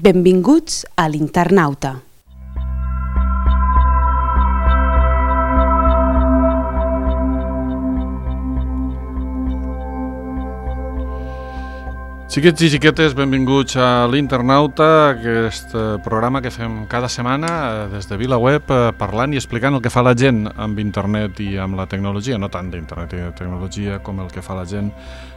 Benvinguts a l'Internauta. Xiquets i xiquetes, benvinguts a l'Internauta, aquest programa que fem cada setmana des de VilaWeb, parlant i explicant el que fa la gent amb internet i amb la tecnologia, no tant d'internet i de tecnologia com el que fa la gent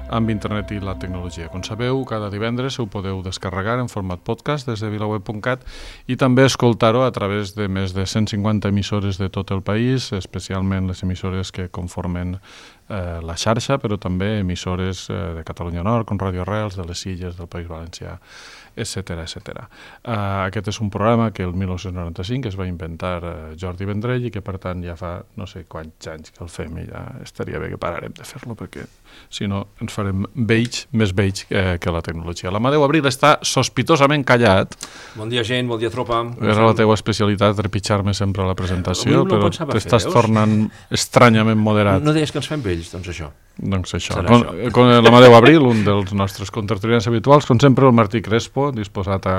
amb internet i la tecnologia. Com sabeu, cada divendres ho podeu descarregar en format podcast des de vilaweb.cat i també escoltar-ho a través de més de 150 emissores de tot el país, especialment les emissores que conformen la xarxa, però també emissores de Catalunya Nord, com Radio Arrels, de les Illes, del País Valencià, etc. Aquest és un programa que el 1995 es va inventar Jordi Vendrell i que per tant ja fa no sé quants anys que el fem i ja estaria bé que pararem de fer-lo perquè si no ens farem més vells que la tecnologia. L'Amadeu Abril està sospitosament callat. Bon dia gent, bon dia tropa. Era la teva especialitat trepitjar-me sempre a la presentació, però t'estàs tornant estranyament moderat. No deies que ens fem vells, doncs això. Doncs això. Con l'Amadeu Abril, un dels nostres contertulians habituals, com sempre el Martí Crespo, disposat a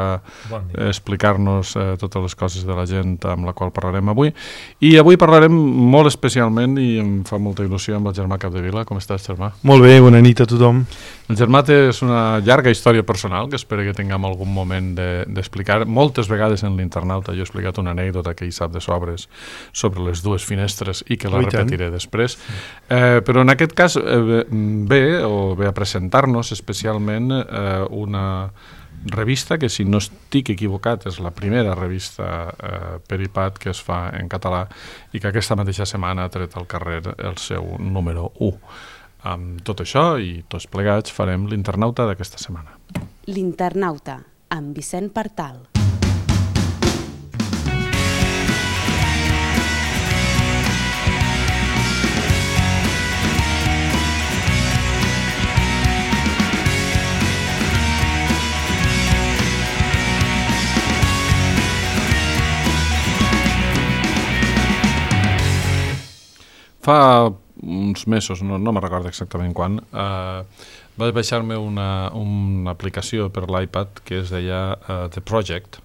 explicar-nos totes les coses de la gent amb la qual parlarem avui. I avui parlarem molt especialment, i em fa molta il·lusió, amb el Germà Capdevila. Com estàs, Germà? Molt bé, bona nit a tothom. El Germà té una llarga història personal que espero que tinguem algun moment d'explicar. Moltes vegades en l'Internauta jo he explicat una anècdota que hi sap de sobres sobre les dues finestres i que la repetiré després. Però en aquest cas ve a presentar-nos especialment una revista que, si no estic equivocat, és la primera revista per iPad que es fa en català i que aquesta mateixa setmana ha tret al carrer el seu número 1. Amb tot això i tots plegats farem l'Internauta d'aquesta setmana. L'Internauta, amb Vicent Partal. Fa uns mesos, no me'n recordo exactament quan, vaig baixar-me una aplicació per l'iPad que es deia The Project,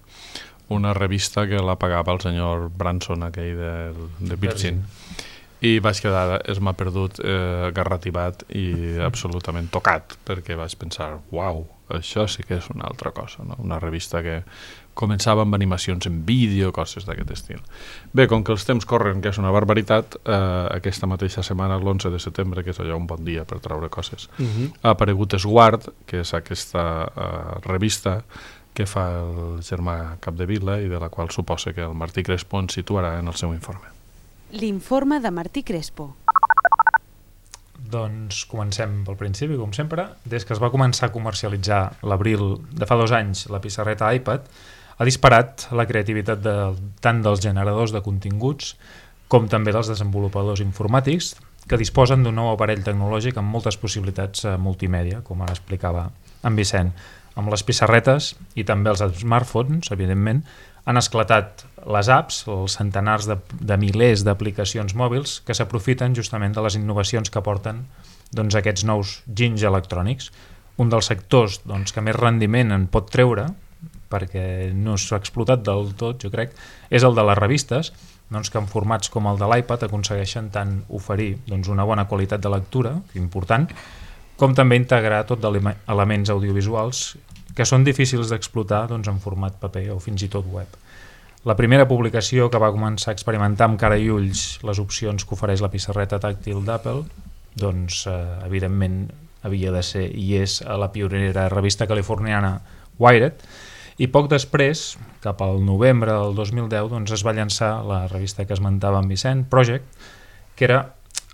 una revista que la pagava el senyor Branson, aquell de Virgin, i vaig quedar, m'ha perdut, garrativat i absolutament tocat, perquè vaig pensar, uau, això sí que és una altra cosa, no? Una revista que començava amb animacions en vídeo, coses d'aquest estil. Bé, com que els temps corren, que és una barbaritat, aquesta mateixa setmana, l'11 de setembre, que és allò un bon dia per treure coses, ha aparegut Esguard, que és aquesta revista que fa el Germà Capdevila i de la qual suposa que el Martí Crespo ens situarà en el seu informe. L'informe de Martí Crespo. Doncs comencem pel principi, com sempre. Des que es va començar a comercialitzar l'abril de fa 2 anys la pissarreta iPad, ha disparat la creativitat tant dels generadors de continguts com també dels desenvolupadors informàtics que disposen d'un nou aparell tecnològic amb moltes possibilitats multimèdia, com ara explicava en Vicent. Amb les pissarretes i també els smartphones, evidentment, han esclatat les apps, els centenars de milers d'aplicacions mòbils que s'aprofiten justament de les innovacions que porten aquests nous ginys electrònics. Un dels sectors que més rendiment en pot treure, perquè no s'ha explotat del tot, jo crec, és el de les revistes, que en formats com el de l'iPad aconsegueixen tant oferir una bona qualitat de lectura, important, com també integrar tot d'elements audiovisuals que són difícils d'explotar en format paper o fins i tot web. La primera publicació que va començar a experimentar amb cara i ulls les opcions que ofereix la pissarreta tàctil d'Apple, evidentment havia de ser i és a la pionera revista californiana Wired, i poc després, cap al novembre del 2010, es va llançar la revista que esmentava en Vicent, Project, que era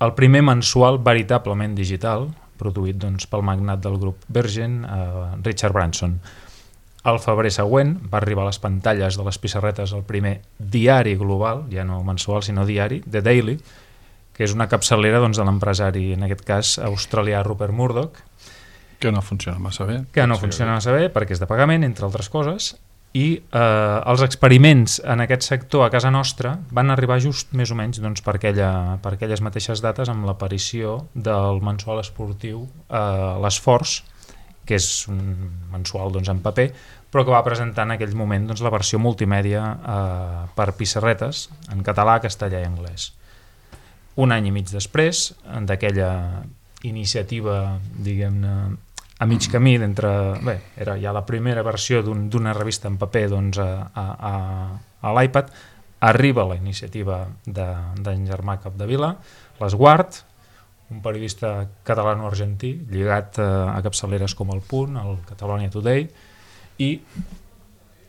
el primer mensual veritablement digital, produït pel magnat del grup Virgin, Richard Branson. Al febrer següent va arribar a les pantalles de les pissarretes el primer diari global, ja no mensual sinó diari, The Daily, que és una capçalera de l'empresari, en aquest cas australià Rupert Murdoch. Que no funciona massa bé. Perquè és de pagament, entre altres coses, i els experiments en aquest sector a casa nostra van arribar just més o menys per aquelles mateixes dates amb l'aparició del mensual esportiu l'Esforç, que és un mensual doncs, en paper, però que va presentar en aquell moment doncs, la versió multimèdia per pissarretes en català, castellà i anglès. Un any i mig després d'aquella iniciativa, diguem-ne, a mig camí d'entre... Bé, era ja la primera versió d'una revista en paper doncs, a l'iPad, arriba la iniciativa d'en Germà Capdevila, l'Esguard, un periodista catalano-argentí lligat a capçaleres com El Punt, el Catalonia Today, i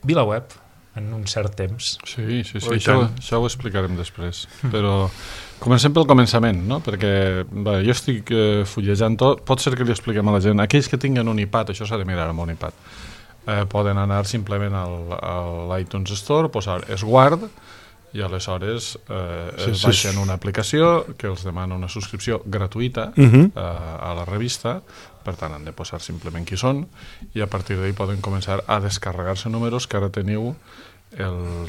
VilaWeb, en un cert temps. Sí, això ho explicarem després. Però comencem pel començament, no? Perquè jo estic fullejant tot, pot ser que li expliquem a la gent, aquells que tinguen un iPad, això s'ha de mirar amb un iPad, poden anar simplement a l'iTunes Store, posar Esguard, i aleshores es baixen una aplicació que els demana una subscripció gratuïta a la revista, per tant han de posar simplement qui són, i a partir d'ahí poden començar a descarregar-se números que ara teniu,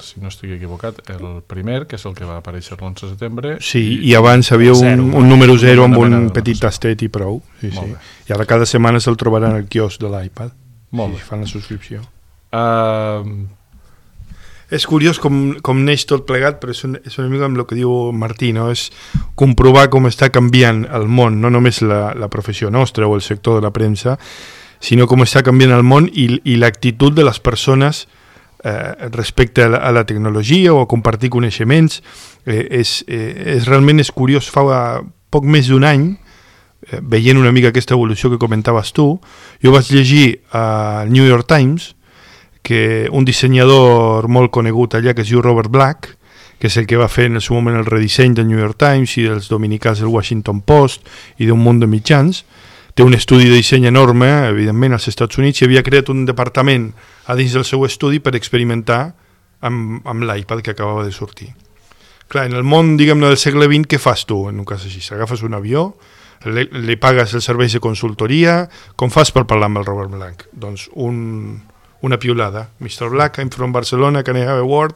si no estic equivocat, el primer, que és el que va aparèixer l'11 de setembre. Sí, i abans havia un número 0 amb un petit tastet i prou. Sí. I ara cada setmana se'l trobaran al quiosc de l'iPad. Molt bé. Fan la subscripció. És curiós com neix tot plegat, però és una mica amb el que diu Martí, no? És comprovar com està canviant el món, no només la professió nostra o el sector de la premsa, sinó com està canviant el món i l'actitud de les persones respecte a la tecnologia o a compartir coneixements. Realment és curiós. Fa poc més d'un any, veient una mica aquesta evolució que comentaves tu, jo vaig llegir al New York Times que un dissenyador molt conegut allà, que es diu Robert Black, que és el que va fer en el seu moment el redisseny del New York Times i dels dominicals del Washington Post i d'un munt de mitjans, té un estudi de disseny enorme, evidentment, als Estats Units, i havia creat un departament a dins del seu estudi per experimentar amb l'iPad que acabava de sortir. Clar, en el món, diguem-ne, del segle XX, què fas tu en un cas així? Agafes un avió, li pagues els serveis de consultoria, com fas per parlar amb el Robert Black? Doncs una piulada. Mr. Black, I'm from Barcelona, can I have a word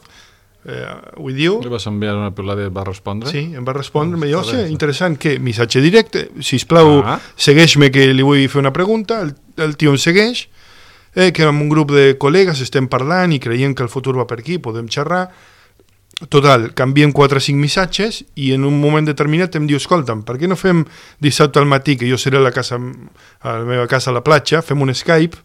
with you? Li vas enviar una piulada i et va respondre? Sí, em va respondre, em va dir, interessant, què? Missatge directe, sisplau, segueix-me que li vull fer una pregunta, el tio em segueix, que amb un grup de col·legues estem parlant i creiem que el futur va per aquí, podem xerrar. Total, canviem 4 o 5 missatges i en un moment determinat em diu, escolta'm, per què no fem dissabte al matí, que jo seré a la meva casa a la platja, fem un Skype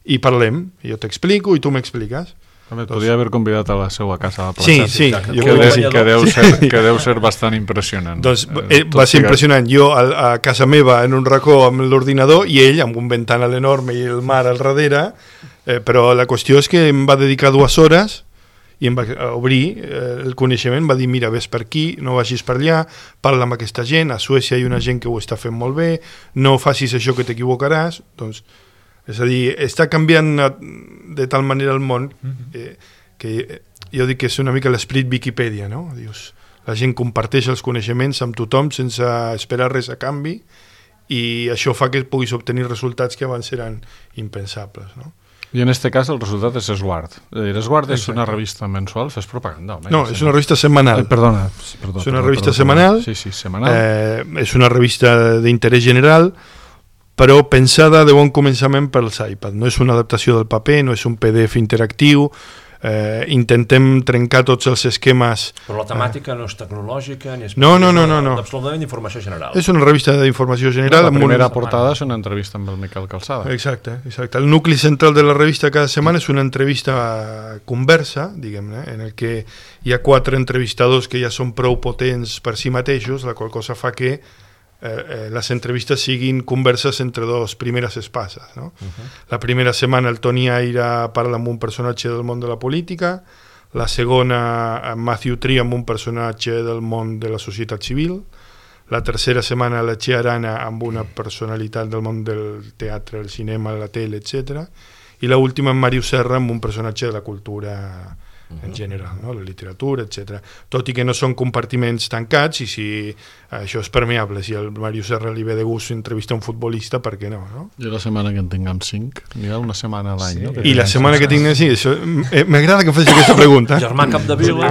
i parlem, jo t'explico i tu m'expliques. Podria haver convidat a la seva casa a la platja. Sí, que deu ser bastant impressionant. Doncs va ser impressionant. Jo a casa meva en un racó amb l'ordinador i ell amb un ventanal enorme i el mar al darrere, però la qüestió és que em va dedicar 2 hores i em va obrir el coneixement, va dir, mira, ves per aquí, no vagis per allà, parla amb aquesta gent, a Suècia hi ha una gent que ho està fent molt bé, no facis això que t'equivocaràs. Doncs, és a dir, està canviant de tal manera el món que jo dic que és una mica l'esperit Viquipèdia, no? Dius, la gent comparteix els coneixements amb tothom sense esperar res a canvi i això fa que puguis obtenir resultats que abans eren impensables, no? I en este cas el resultat és Esguard. Esguard és una revista mensual, fes propaganda. No, és una revista setmanal. Perdona. És una revista setmanal. Sí, setmanal. És una revista d'interès general, però pensada de bon començament pels iPad. No és una adaptació del paper, no és un PDF interactiu, intentem trencar tots els esquemes. Però la temàtica no és tecnològica ni és... No. Absolutament d'informació general. És una revista d'informació general. La primera portada és una entrevista amb el Miquel Calçada. Exacte. El nucli central de la revista cada setmana és una entrevista conversa, diguem-ne, en el que hi ha 4 entrevistadors que ja són prou potents per si mateixos, la qual cosa fa que les entrevistes siguin converses entre 2 primeres espases, no? La primera setmana el Toni Aira parla amb un personatge del món de la política, la segona amb Matthew Tree amb un personatge del món de la societat civil, la tercera setmana la Txea Arana amb una personalitat del món del teatre, el cinema, la tele, etc. I l'última amb Màrius Serra amb un personatge de la cultura en general, no? La literatura, etc. Tot i que no són compartiments tancats, i si això és permeable, si el Màrius Serra li ve de gust entrevistar un futbolista, per què no? I la setmana que en tinguem 5, n'hi ha una setmana a l'any, no? I la setmana que tinguem 5, això, m'agrada que facis aquesta pregunta. Germà Capdevila.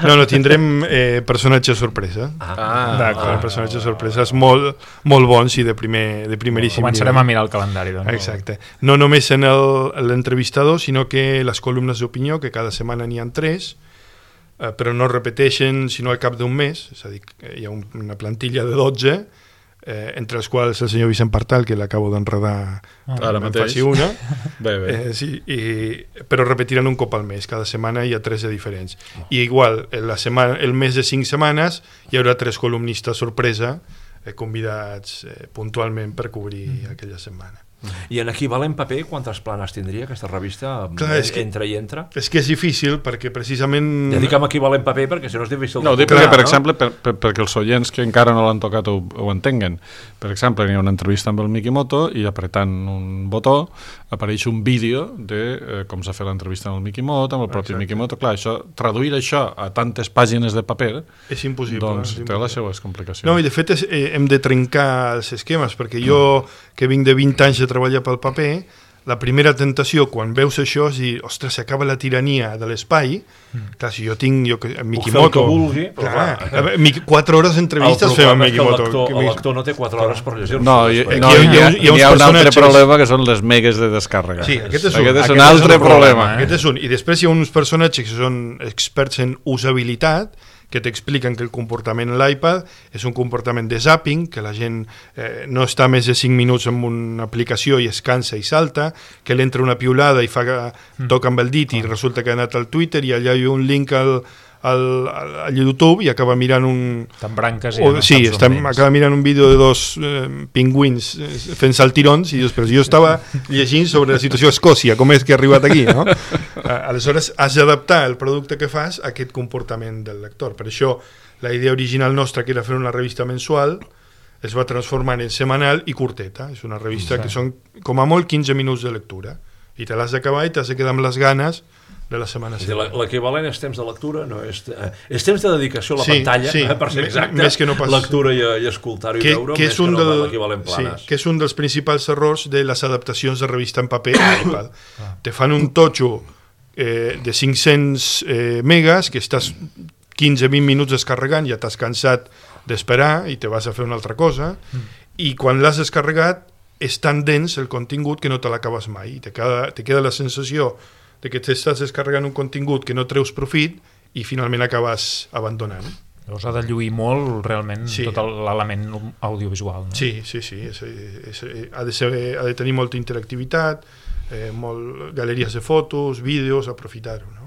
No, tindrem personatges sorpresa. D'acord. Personatges sorpreses molt bons i de primeríssim nivell. Començarem a mirar el calendari, doncs. Exacte. No només en l'entrevistador, sinó que les columnes d'opinió, que cada setmana n'hi ha 3, però no repeteixen sinó al cap d'un mes, és a dir, hi ha una plantilla de 12, entre els quals el senyor Vicent Partal, que l'acabo d'enredar, ara mateix. faci una. Bé. Sí, però repetiran un cop al mes, cada setmana hi ha 3 de diferents. I igual, el mes de 5 setmanes hi haurà 3 columnistes sorpresa, convidats puntualment per cobrir aquella setmana. I en equivalent paper, quantes planes tindria aquesta revista? Clar, Entre i entre? És que és difícil, perquè precisament... Ja dic amb equivalent paper, perquè si no és difícil... No, ho dic perquè, per exemple, perquè els oients que encara no l'han tocat ho entenguen. Per exemple, hi ha una entrevista amb el Mikimoto i apretant un botó apareix un vídeo de com s'ha fet l'entrevista amb el Mikimoto, amb el propi Mikimoto. Clar, traduir això a tantes pàgines de paper és impossible. Doncs té les seues complicacions. No, i de fet hem de trencar els esquemes, perquè jo, que vinc de 20 anys de treballar pel paper, la primera tentació quan veus això és dir, ostres, s'acaba la tirania de l'espai. Clar, si jo tinc Mikimoto... Puc fer el que vulgui, però 4 hores d'entrevistes fem amb Mikimoto. El lector no té 4 hores per llegir-se. No, hi ha un altre problema que són les megues de descàrrega. Sí, aquest és un altre problema. Aquest és un. I després hi ha uns personatges que són experts en usabilitat, que t'expliquen que el comportament en l'iPad és un comportament de zapping, que la gent no està més de 5 minuts en una aplicació i es cansa i salta, que l'entra una piulada i toca amb el dit i resulta que ha anat al Twitter i allà hi ha un link al YouTube i acaba mirant T'embranques acaba mirant un vídeo de 2 pingüins fent saltirons i dius, però jo estava llegint sobre la situació a Escòcia, com és que he arribat aquí, no? Aleshores has d'adaptar el producte que fas a aquest comportament del lector. Per això la idea original nostra, que era fer una revista mensual, es va transformar en setmanal i curteta. És una revista que són com a molt 15 minuts de lectura i te l'has d'acabar i t'has de quedar amb les ganes de la setmana següent. L'equivalent és temps de lectura, no és temps de dedicació a la pantalla, per ser exacte, més que no pas... lectura i escoltar-ho i veure, més que no l'equivalent planes. Que és un dels principals errors de les adaptacions de revista en paper a iPad. Te fan un totxo de 500 megas que estàs 15-20 minuts descarregant, ja t'has cansat d'esperar i te vas a fer una altra cosa, i quan l'has descarregat és tan dens el contingut que no te l'acabes mai, i te queda la sensació de que t'estàs descarregant un contingut que no treus profit i finalment acabes abandonant. Llavors ha de lluir molt realment tot l'element audiovisual, no? Sí. Ha de tenir molta interactivitat, galeries de fotos, vídeos, aprofitar-ho, no?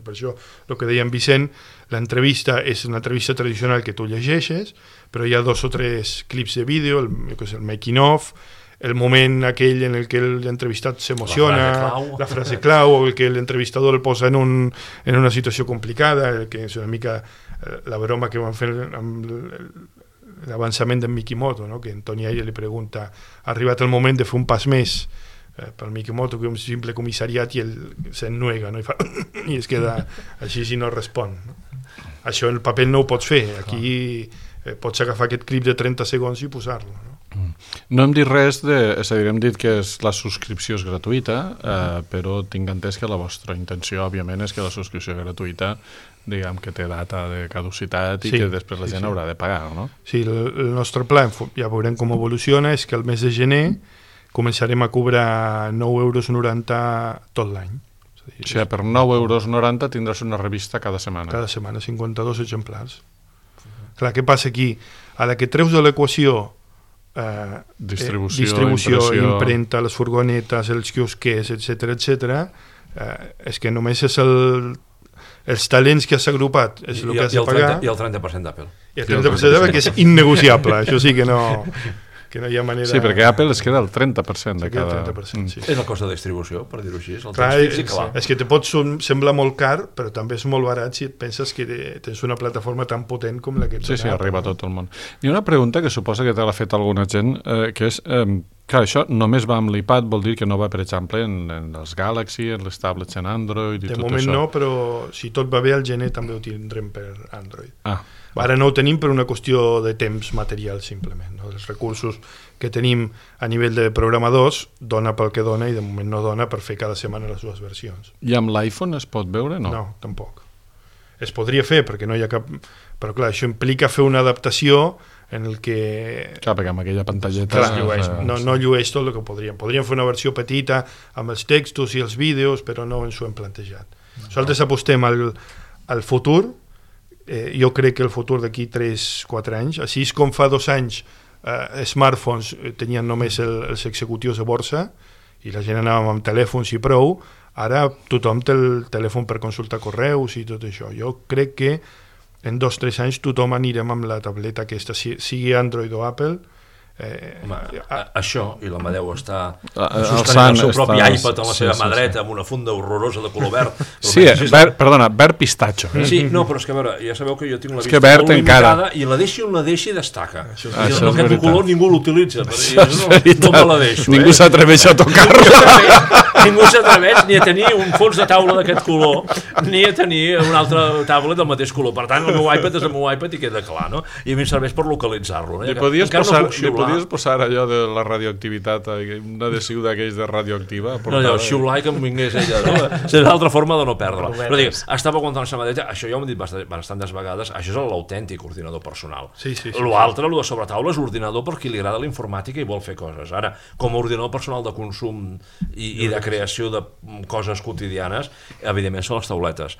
Per això, el que deia en Vicent, l'entrevista és una entrevista tradicional que tu llegeixes, però hi ha 2 o 3 clips de vídeo, el making of, el moment aquell en el que l'entrevistat s'emociona, la frase clau, o el que l'entrevistador el posa en una situació complicada, que és una mica la broma que van fer amb l'avançament d'en Mikimoto, no? Que en Tony Aire li pregunta, ha arribat el moment de fer un pas més pel Mikimoto, que un simple comissariat, i ell s'ennuega, no? I es queda així si no respon, no? Això en el paper no ho pots fer, aquí pots agafar aquest clip de 30 segons i posar-lo, no? No hem dit res és a dir, hem dit que la subscripció és gratuïta, però tinc entès que la vostra intenció, òbviament, és que la subscripció gratuïta, diguem que té data de caducitat i que després la gent haurà de pagar, no? Sí, el nostre pla, ja veurem com evoluciona, és que el mes de gener començarem a cobrar 9,90 € tot l'any. O sigui, per 9,90 € tindràs una revista cada setmana. Cada setmana, 52 exemplars. Clar, què passa aquí? A la que treus de l'equació distribució, impremta, les furgonetes, els quiosquers, etc., és que només és els talents que has agrupat és el que has de pagar. I el 30% d'Apple. I el 30% d'Apple, que és innegociable, això sí que no hi ha manera... Sí, perquè Apple es queda el 30% de cada... 30%, sí. És el cost de distribució, per dir-ho així. Clar, és que te pot semblar molt car, però també és molt barat si et penses que tens una plataforma tan potent com la que... Sí, arriba a tot el món. I una pregunta que suposa que te l'ha fet alguna gent, que és Clar, això només va amb l'iPad, vol dir que no va, per exemple, en els Galaxy, en les tablets en Android i tot això. De moment no, però si tot va bé, al gener també ho tindrem per Android. Ara no ho tenim per una qüestió de temps material, simplement. No? Els recursos que tenim a nivell de programadors dona pel que dona i de moment no dona per fer cada setmana les dues versions. I amb l'iPhone es pot veure? No, tampoc. Es podria fer, perquè no hi ha cap... Però clar, això implica fer una adaptació en el que... Clar, perquè amb aquella pantalleta... No llueix tot el que podríem. Podríem fer una versió petita amb els textos i els vídeos, però no ens ho hem plantejat. Nosaltres apostem al futur. Jo crec que el futur d'aquí 3-4 anys, així com fa 2 anys smartphones tenien només els executius de borsa i la gent anava amb telèfons i prou, ara tothom té el telèfon per consultar correus i tot això. Jo crec que en 2-3 anys tothom anirem amb la tableta aquesta, sigui Android o Apple. Això, i l'Amadeu està sostenint el seu propi iPad en la seva mà dreta amb una funda horrorosa de color verd. Sí, perdona, verd pistatxo. Sí, no, però és que a veure, ja sabeu que jo tinc la vista molt limitada i la deixi on la deixi destaca. Aquest color ningú l'utilitza, no me la deixo. Ningú s'atreveix a tocar-la. Ningú s'atreveix ni a tenir un fons de taula d'aquest color, ni a tenir una altra taula del mateix color. Per tant, el meu iPad és el meu iPad i queda clar, no? I a mi em serveix per localitzar-lo. Li podies posar allò de la radioactivitat, un adhesiu d'aquells de radioactiva? No, allò, xiular que em vingués ella, no? És l'altra forma de no perdre-la. Però dic, estava aguantant la samadeta, això ja ho hem dit bastantes vegades, això és l'autèntic ordinador personal. L'altre, el de sobretaula, és l'ordinador per qui li agrada la informàtica i vol fer coses. Ara, com a ordinador personal de consum i de creació de coses quotidianes, evidentment són les tauletes.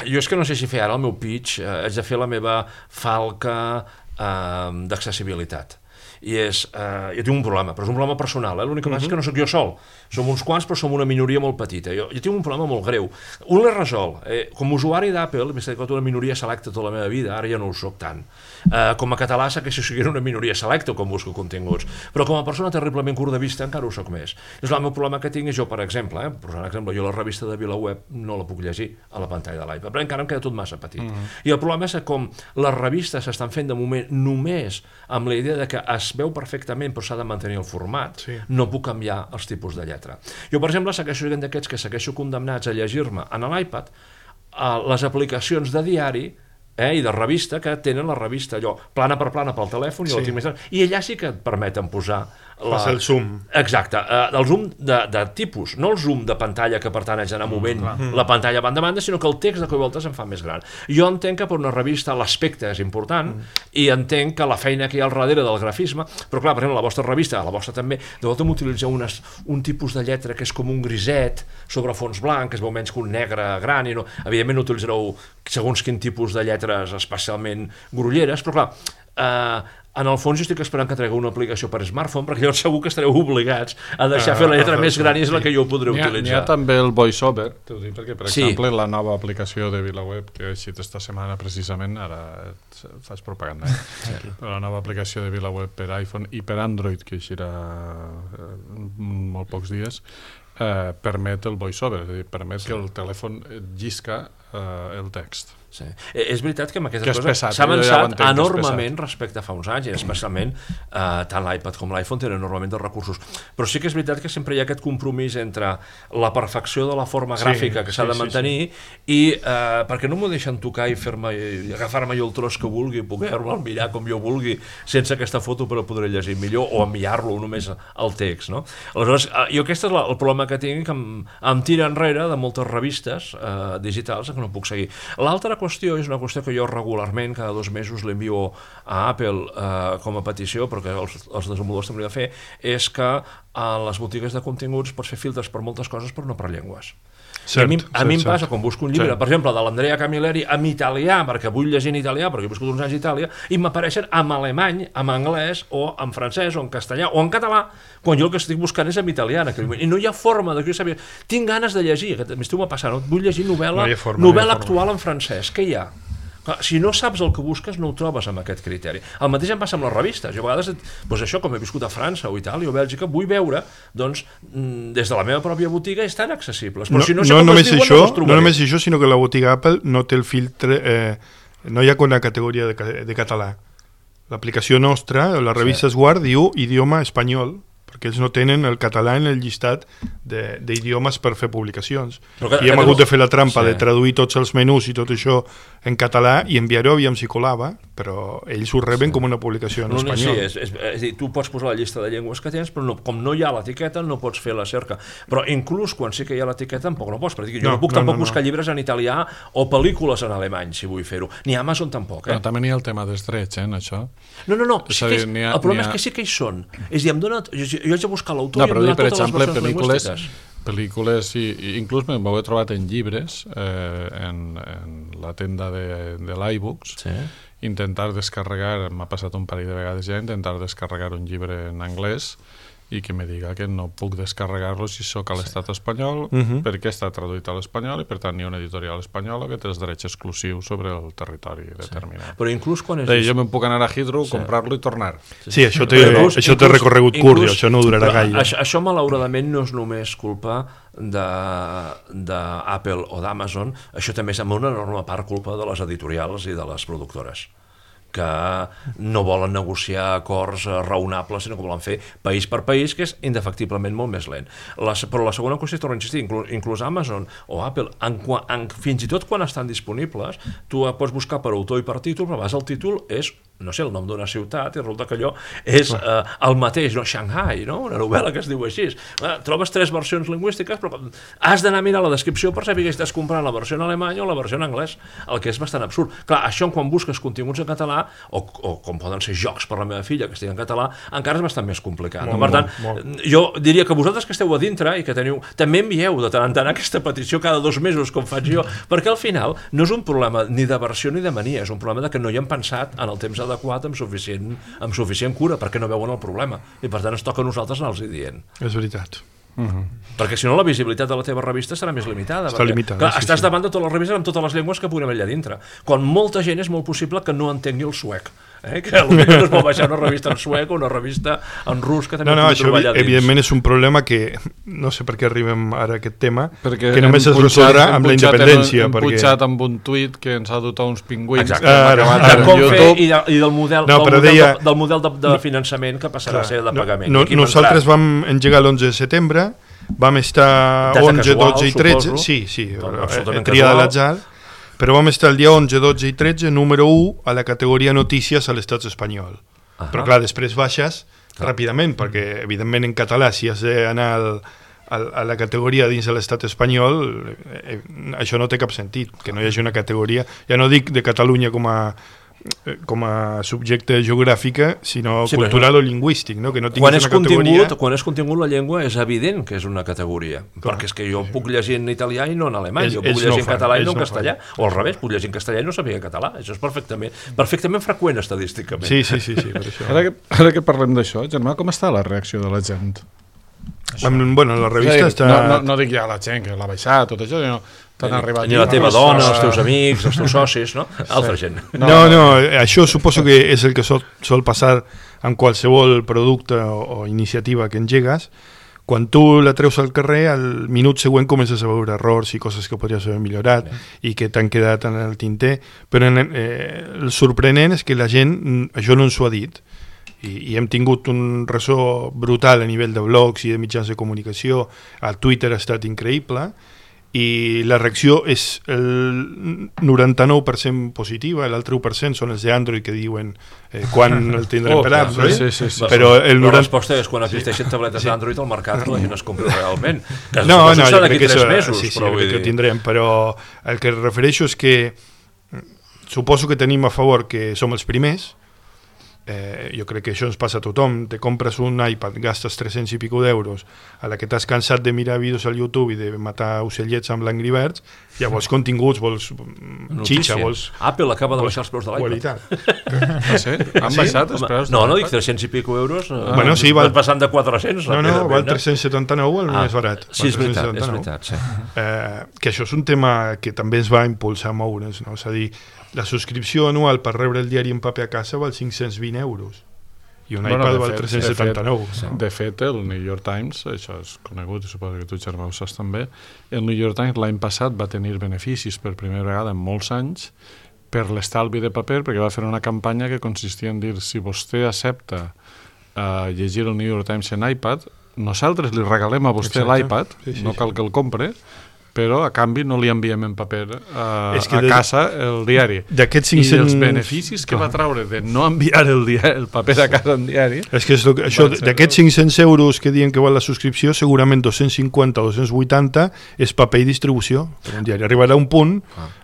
Jo és que no sé si fer ara el meu pitch, haig de fer la meva falca d'accessibilitat. I jo tinc un problema, però és un problema personal, l'únic que passa és que no sóc jo sol, som uns quants però som una minoria molt petita. Jo tinc un problema molt greu, un l'he resolt, com a usuari d'Apple m'he estat una minoria selecta tota la meva vida, ara ja no ho soc tant, com a català sé que si sigui una minoria selecta quan busco continguts, però com a persona terriblement curt de vista encara ho soc més. És el meu problema que tinc és jo, per exemple, jo la revista de VilaWeb no la puc llegir a la pantalla de l'iPad, però encara em queda tot massa petit. I el problema és que com les revistes s'estan fent de moment només amb la idea de que es veu perfectament però s'ha de mantenir el format, no puc canviar els tipus de lletra. Jo, per exemple, segueixo sent d'aquests que segueixo condemnats a llegir-me en l'iPad les aplicacions de diari i de revista que tenen la revista allò plana per plana pel telèfon i allà sí que et permeten posar el zoom. Exacte, el zoom de tipus, no el zoom de pantalla que per tant haig d'anar movent la pantalla banda a banda, sinó que el text de cop i voltes em fa més gran. Jo entenc que per una revista l'aspecte és important i entenc que la feina que hi ha al darrere del grafisme, però clar, per exemple, la vostra revista, la vostra també, de volta m'utilitzeu un tipus de lletra que és com un griset sobre fons blanc, que es veu menys que un negre gran, i no, evidentment no utilitzareu segons quin tipus de lletres especialment grolleres, però clar, en el fons jo estic esperant que tregueu una aplicació per smartphone perquè llavors segur que estareu obligats a deixar fer la lletra més gran i és la que jo podré utilitzar. N'hi ha també el VoiceOver, t'ho dic perquè per exemple la nova aplicació de VilaWeb que he eixit esta setmana precisament, ara faig propaganda, la nova aplicació de VilaWeb per iPhone i per Android que eixirà molt pocs dies, permet el VoiceOver, és a dir, permet que el telèfon llisca el text. Sí. És veritat que amb aquestes coses s'ha avançat enormement respecte a fa uns anys i especialment tant l'iPad com l'iPhone tenen enormement de recursos, però sí que és veritat que sempre hi ha aquest compromís entre la perfecció de la forma gràfica que s'ha de mantenir i perquè no m'ho deixen tocar i agafar-me jo el tros que vulgui, poder-lo mirar com jo vulgui sense aquesta foto per poder llegir millor o enviar-lo només al text, no? Aleshores, jo aquest és el problema que tinc, que em tira enrere de moltes revistes digitals que no puc seguir. L'altra qüestió és una qüestió que jo regularment cada 2 mesos l'envio a Apple com a petició, però que els desenvolupadors també ho he de fer, és que a les botigues de continguts pots fer filtres per moltes coses però no per llengües. A mi em passa quan busco un llibre, per exemple, de l'Andrea Camilleri en italià, perquè vull llegir en italià, perquè he viscut uns anys a Itàlia, i m'apareixen en alemany, en anglès, o en francès, o en castellà, o en català, quan jo el que estic buscant és en italià en aquell moment. I no hi ha forma de que jo sàpiga. Tinc ganes de llegir, que m'esteu passant, vull llegir novel·la actual en francès. Què hi ha? Si no saps el que busques no ho trobes amb aquest criteri. El mateix em passa amb les revistes. Jo a vegades, això, com he viscut a França o Itàlia o Bèlgica, vull veure des de la meva pròpia botiga estan accessibles, però si no sé com es diuen no els trobaré. No només això, sinó que la botiga Apple no té el filtre, no hi ha una categoria de català. L'aplicació nostra, la revista Esguard, diu idioma espanyol, perquè ells no tenen el català en el llistat d'idiomes per fer publicacions. I hem hagut de fer la trampa de traduir tots els menús i tot això en català i enviar-ho aviam si colava, però ells ho reben com una publicació en espanyol. Sí, és a dir, tu pots posar la llista de llengües que tens, però com no hi ha l'etiqueta no pots fer la cerca. Però inclús quan sí que hi ha l'etiqueta tampoc no pots, perquè jo no puc tampoc buscar llibres en italià o pel·lícules en alemany, si vull fer-ho. Ni a Amazon tampoc. Però també n'hi ha el tema dels drets, en això. No, el problema és que sí que hi són. És a dir, em dona... Jo haig de buscar l'autor i em donar totes les versions lingüístiques. Pel·lícules, inclús m'ho he trobat en llibres, en la tenda de l'iBooks, intentar descarregar, m'ha passat un parell de vegades ja, intentar descarregar un llibre en anglès i que me diga que no puc descarregar-lo si sóc a l'estat espanyol, perquè està traduït a l'espanyol i per tant hi ha una editorial espanyola que té els drets exclusius sobre el territori determinat. Però inclús quan jo me'n puc anar a Heathrow, comprar-lo i tornar. Sí, això té recorregut curt, això no durarà gaire. Això malauradament no és només culpa d'Apple o d'Amazon, això també és en una enorme part culpa de les editorials i de les productores, que no volen negociar acords raonables, sinó que volen fer país per país, que és indefectiblement molt més lent. Però la segona qüestió, torno a insistir, inclús Amazon o Apple, fins i tot quan estan disponibles, tu pots buscar per autor i per títol, però a vegades el títol és, no sé, el nom d'una ciutat, i resulta que allò és el mateix, no? Shanghai, no? Una novel·la que es diu així. Trobes 3 versions lingüístiques, però has d'anar a mirar la descripció per saber que estàs comprant la versió en alemany o la versió en anglès, el que és bastant absurd. Clar, això quan busques continguts en català, o com poden ser jocs per la meva filla que estigui en català, encara és bastant més complicat. Per tant, jo diria que vosaltres que esteu a dintre i que teniu, també envieu de tant en tant aquesta petició cada 2 mesos, com faig jo, perquè al final no és un problema ni de versió ni de mania, és un problema que no hi hem pensat en el temps adequat amb suficient cura, perquè no veuen el problema, i per tant ens toca a nosaltres anar-los dient. És veritat. Perquè si no la visibilitat de la teva revista serà més limitada. Està limitada, clar, estàs davant de totes les revistes amb totes les llengües que puguem allà dintre, quan molta gent és molt possible que no entengui el suec, que potser no es pot baixar una revista en suec o una revista en rus que també pugui trobar allà dins. Evidentment és un problema que no sé per què arribem ara a aquest tema, perquè que només es resoldrà amb la independència. Hem pujat amb un tuit que ens ha dotat uns pingüins i del model de finançament que passarà a ser de pagament. Nosaltres vam engegar l'11 de setembre, vam estar 11, 12 i 13, sí, tria de l'atzar, però vam estar el dia 11, 12 i 13, número 1 a la categoria notícies a l'estat espanyol. Però clar, després baixes ràpidament, perquè evidentment en català, si has d'anar a la categoria dins de l'estat espanyol, això no té cap sentit, que no hi hagi una categoria, ja no dic de Catalunya com a subjecte geogràfica, sinó cultural o lingüístic, no? Que no tinguis una categoria. Quan és contingut la llengua és evident que és una categoria, perquè és que jo puc llegir en italià i no en alemany, jo puc llegir en català i no en castellà, o al revés, puc llegir en castellà i no saber català, això és perfectament freqüent estadísticament. Sí, per això. Ara que parlem d'això, Germà, com està la reacció de la gent? Bueno, la revista està... No dic ja la gent que l'ha baixat, tot això, sinó ni la teva dona, els teus amics, els teus socis, no? Altra gent. No, això suposo que és el que sol passar amb qualsevol producte o iniciativa que engegues. Quan tu la treus al carrer, al minut següent comences a veure errors i coses que podries haver millorat i que t'han quedat en el tinter, però el sorprenent és que la gent això no ens ho ha dit. I hem tingut un ressò brutal a nivell de blogs i de mitjans de comunicació, a Twitter ha estat increïble, i la reacció és el 99% positiva, l'altre 1% són els d'Android que diuen quan el tindrem per app, sí. Però la resposta és quan existeixen tabletes d'Android al mercat que la gent es compra realment. No, jo crec que ho tindrem, però el que refereixo és que suposo que tenim a favor que som els primers. Jo crec que això ens passa a tothom. Te compres un iPad, gastes 300 i pico d'euros, a la que t'has cansat de mirar vídeos al YouTube i de matar ocellets amb l'Angry Birds, ja vols continguts, vols xitxa, vols... Apple acaba de baixar els preus de l'iPad. Sí? Han baixat els preus de l'iPad? No, dic 300 i pico euros, bueno, sí, passant de 400. No, val 379 el més barat. Sí, és veritat. Que això és un tema que també ens va impulsar a moure's, no? És a dir, la subscripció anual per rebre el diari en paper a casa val 520 euros i un iPad val 379. De fet, el New York Times, això és conegut, suposo que tu, Germà, ho saps també, el New York Times l'any passat va tenir beneficis per primera vegada en molts anys per l'estalvi de paper, perquè va fer una campanya que consistia en dir si vostè accepta llegir el New York Times en iPad, nosaltres li regalem a vostè l'iPad, no cal que el compre, però a canvi no li enviem en paper a casa el diari. I els beneficis que va traure de no enviar el paper a casa en diari... És que d'aquests 500 euros que diuen que val la subscripció, segurament 250 o 280 és paper i distribució per un diari. Arribarà un punt,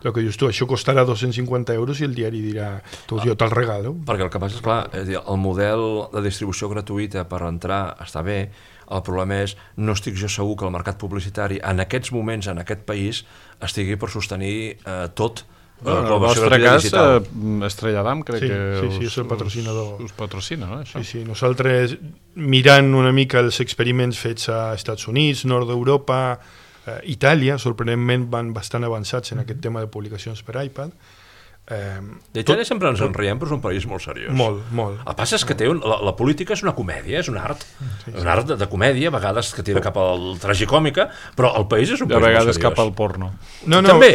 el que dius tu, això costarà 250 euros i el diari dirà, jo te'l regalo. Perquè el que passa és, clar, el model de distribució gratuïta per entrar està bé. El problema és, no estic jo segur que el mercat publicitari en aquests moments, en aquest país, estigui per sostenir tot. En el vostre cas, Estrella d'Am, crec que és el patrocinador. Us patrocina, no? Sí, nosaltres, mirant una mica els experiments fets a Estats Units, nord d'Europa, Itàlia, sorprenentment van bastant avançats en aquest tema de publicacions per iPad. De Itàlia sempre ens en riem, però és un país molt seriós. Molt. El que passa és que la política és una comèdia, és un art. Un art de comèdia, a vegades que tira cap al tragicòmica, però el país és un país molt seriós. A vegades cap al porno. També,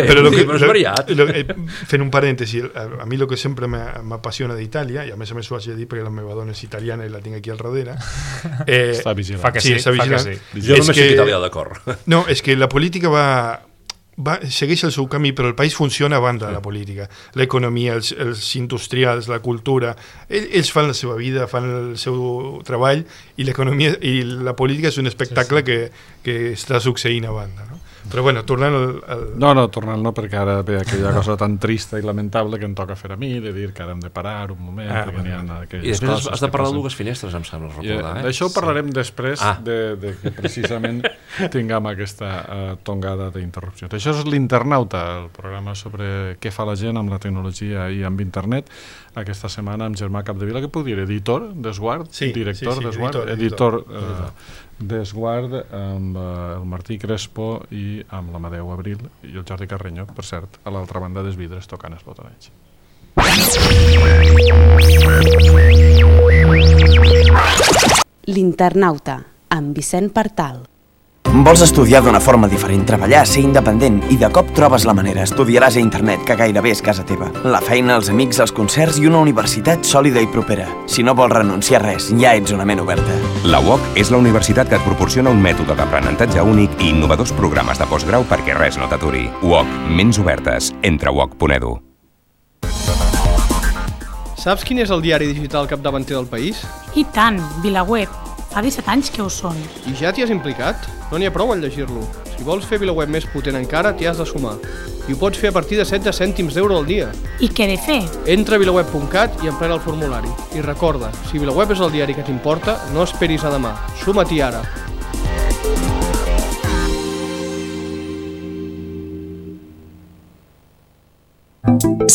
però és variat. Fent un parèntesi, a mi el que sempre m'apassiona d'Itàlia, i a més ho haig de dir perquè la meva dona és italiana i la tinc aquí al darrere... Està vigilant. Fa que sí. Jo només soc italià, d'acord. No, és que la política segueix el seu camí, però el país funciona a banda de la política. L'economia, els industrials, la cultura, ells fan la seva vida, fan el seu treball, i l'economia i la política és un espectacle que està succeint a banda, no? Però bueno, tornant al... tornant no, perquè ara ve aquella cosa tan trista i lamentable que em toca fer a mi, de dir que ara hem de parar un moment, perquè n'hi ha aquelles coses... I després has de parlar de dues finestres, em sembla recordar. D'això parlarem després de que precisament tinguem aquesta tongada d'interrupcions. Això és l'Internauta, el programa sobre què fa la gent amb la tecnologia i amb internet. Aquesta setmana amb Germà Capdevila, que puc dir, editor d'Esguard, director d'Esguard, editor d'Esguard, amb el Martí Crespo i amb l'Amadeu Abril i el Jordi Carreño, per cert, a l'altra banda dels vidres tocant els botonets. L'Internauta, amb Vicent Partal. Vols estudiar d'una forma diferent, treballar, ser independent i de cop trobes la manera. Estudiaràs a internet, que gairebé és casa teva. La feina, els amics, els concerts i una universitat sòlida i propera. Si no vols renunciar a res, ja ets una ment oberta. La UOC és la universitat que et proporciona un mètode d'aprenentatge únic i innovadors programes de postgrau perquè res no t'aturi. UOC, ments obertes. Entra a uoc.edu. Saps quin és el diari digital capdavanter del país? I tant, VilaWeb. Fa 17 anys que ho són. I ja t'hi has implicat? No n'hi ha prou en llegir-lo. Si vols fer VilaWeb més potent encara, t'hi has de sumar. I ho pots fer a partir de 16 cèntims d'euro al dia. I què he de fer? Entra a vilaweb.cat i emplena el formulari. I recorda, si VilaWeb és el diari que t'importa, no esperis a demà. Suma-t'hi ara.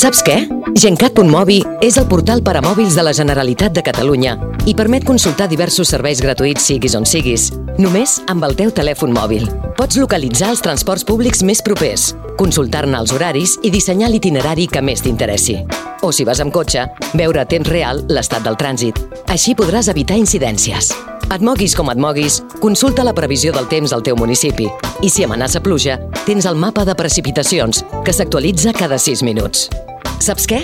Saps què? Gencat.mobi és el portal per a mòbils de la Generalitat de Catalunya i permet consultar diversos serveis gratuïts siguis on siguis, només amb el teu telèfon mòbil. Pots localitzar els transports públics més propers, consultar-ne els horaris i dissenyar l'itinerari que més t'interessi. O si vas amb cotxe, veure a temps real l'estat del trànsit. Així podràs evitar incidències. Et moguis com et moguis, consulta la previsió del temps al teu municipi. I si amenaça pluja, tens el mapa de precipitacions, que s'actualitza cada 6 minuts. Saps què?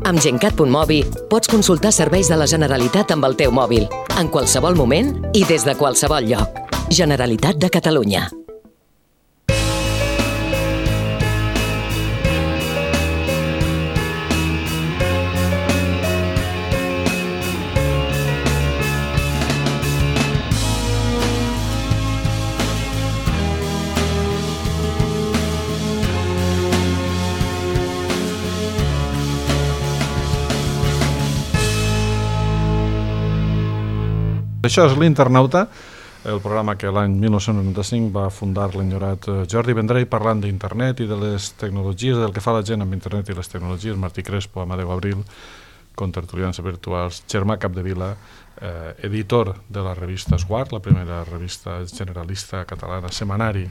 Amb Gencat.mobi pots consultar serveis de la Generalitat amb el teu mòbil, en qualsevol moment i des de qualsevol lloc. Generalitat de Catalunya. Això és l'Internauta, el programa que l'any 1995 va fundar l'enyorat Jordi Vendrell parlant d'internet i de les tecnologies, del que fa la gent amb internet i les tecnologies, Martí Crespo, Amadeu Abril, contertulians virtuals, Germà Capdevila, editor de la revista Esguard, la primera revista generalista catalana, setmanari,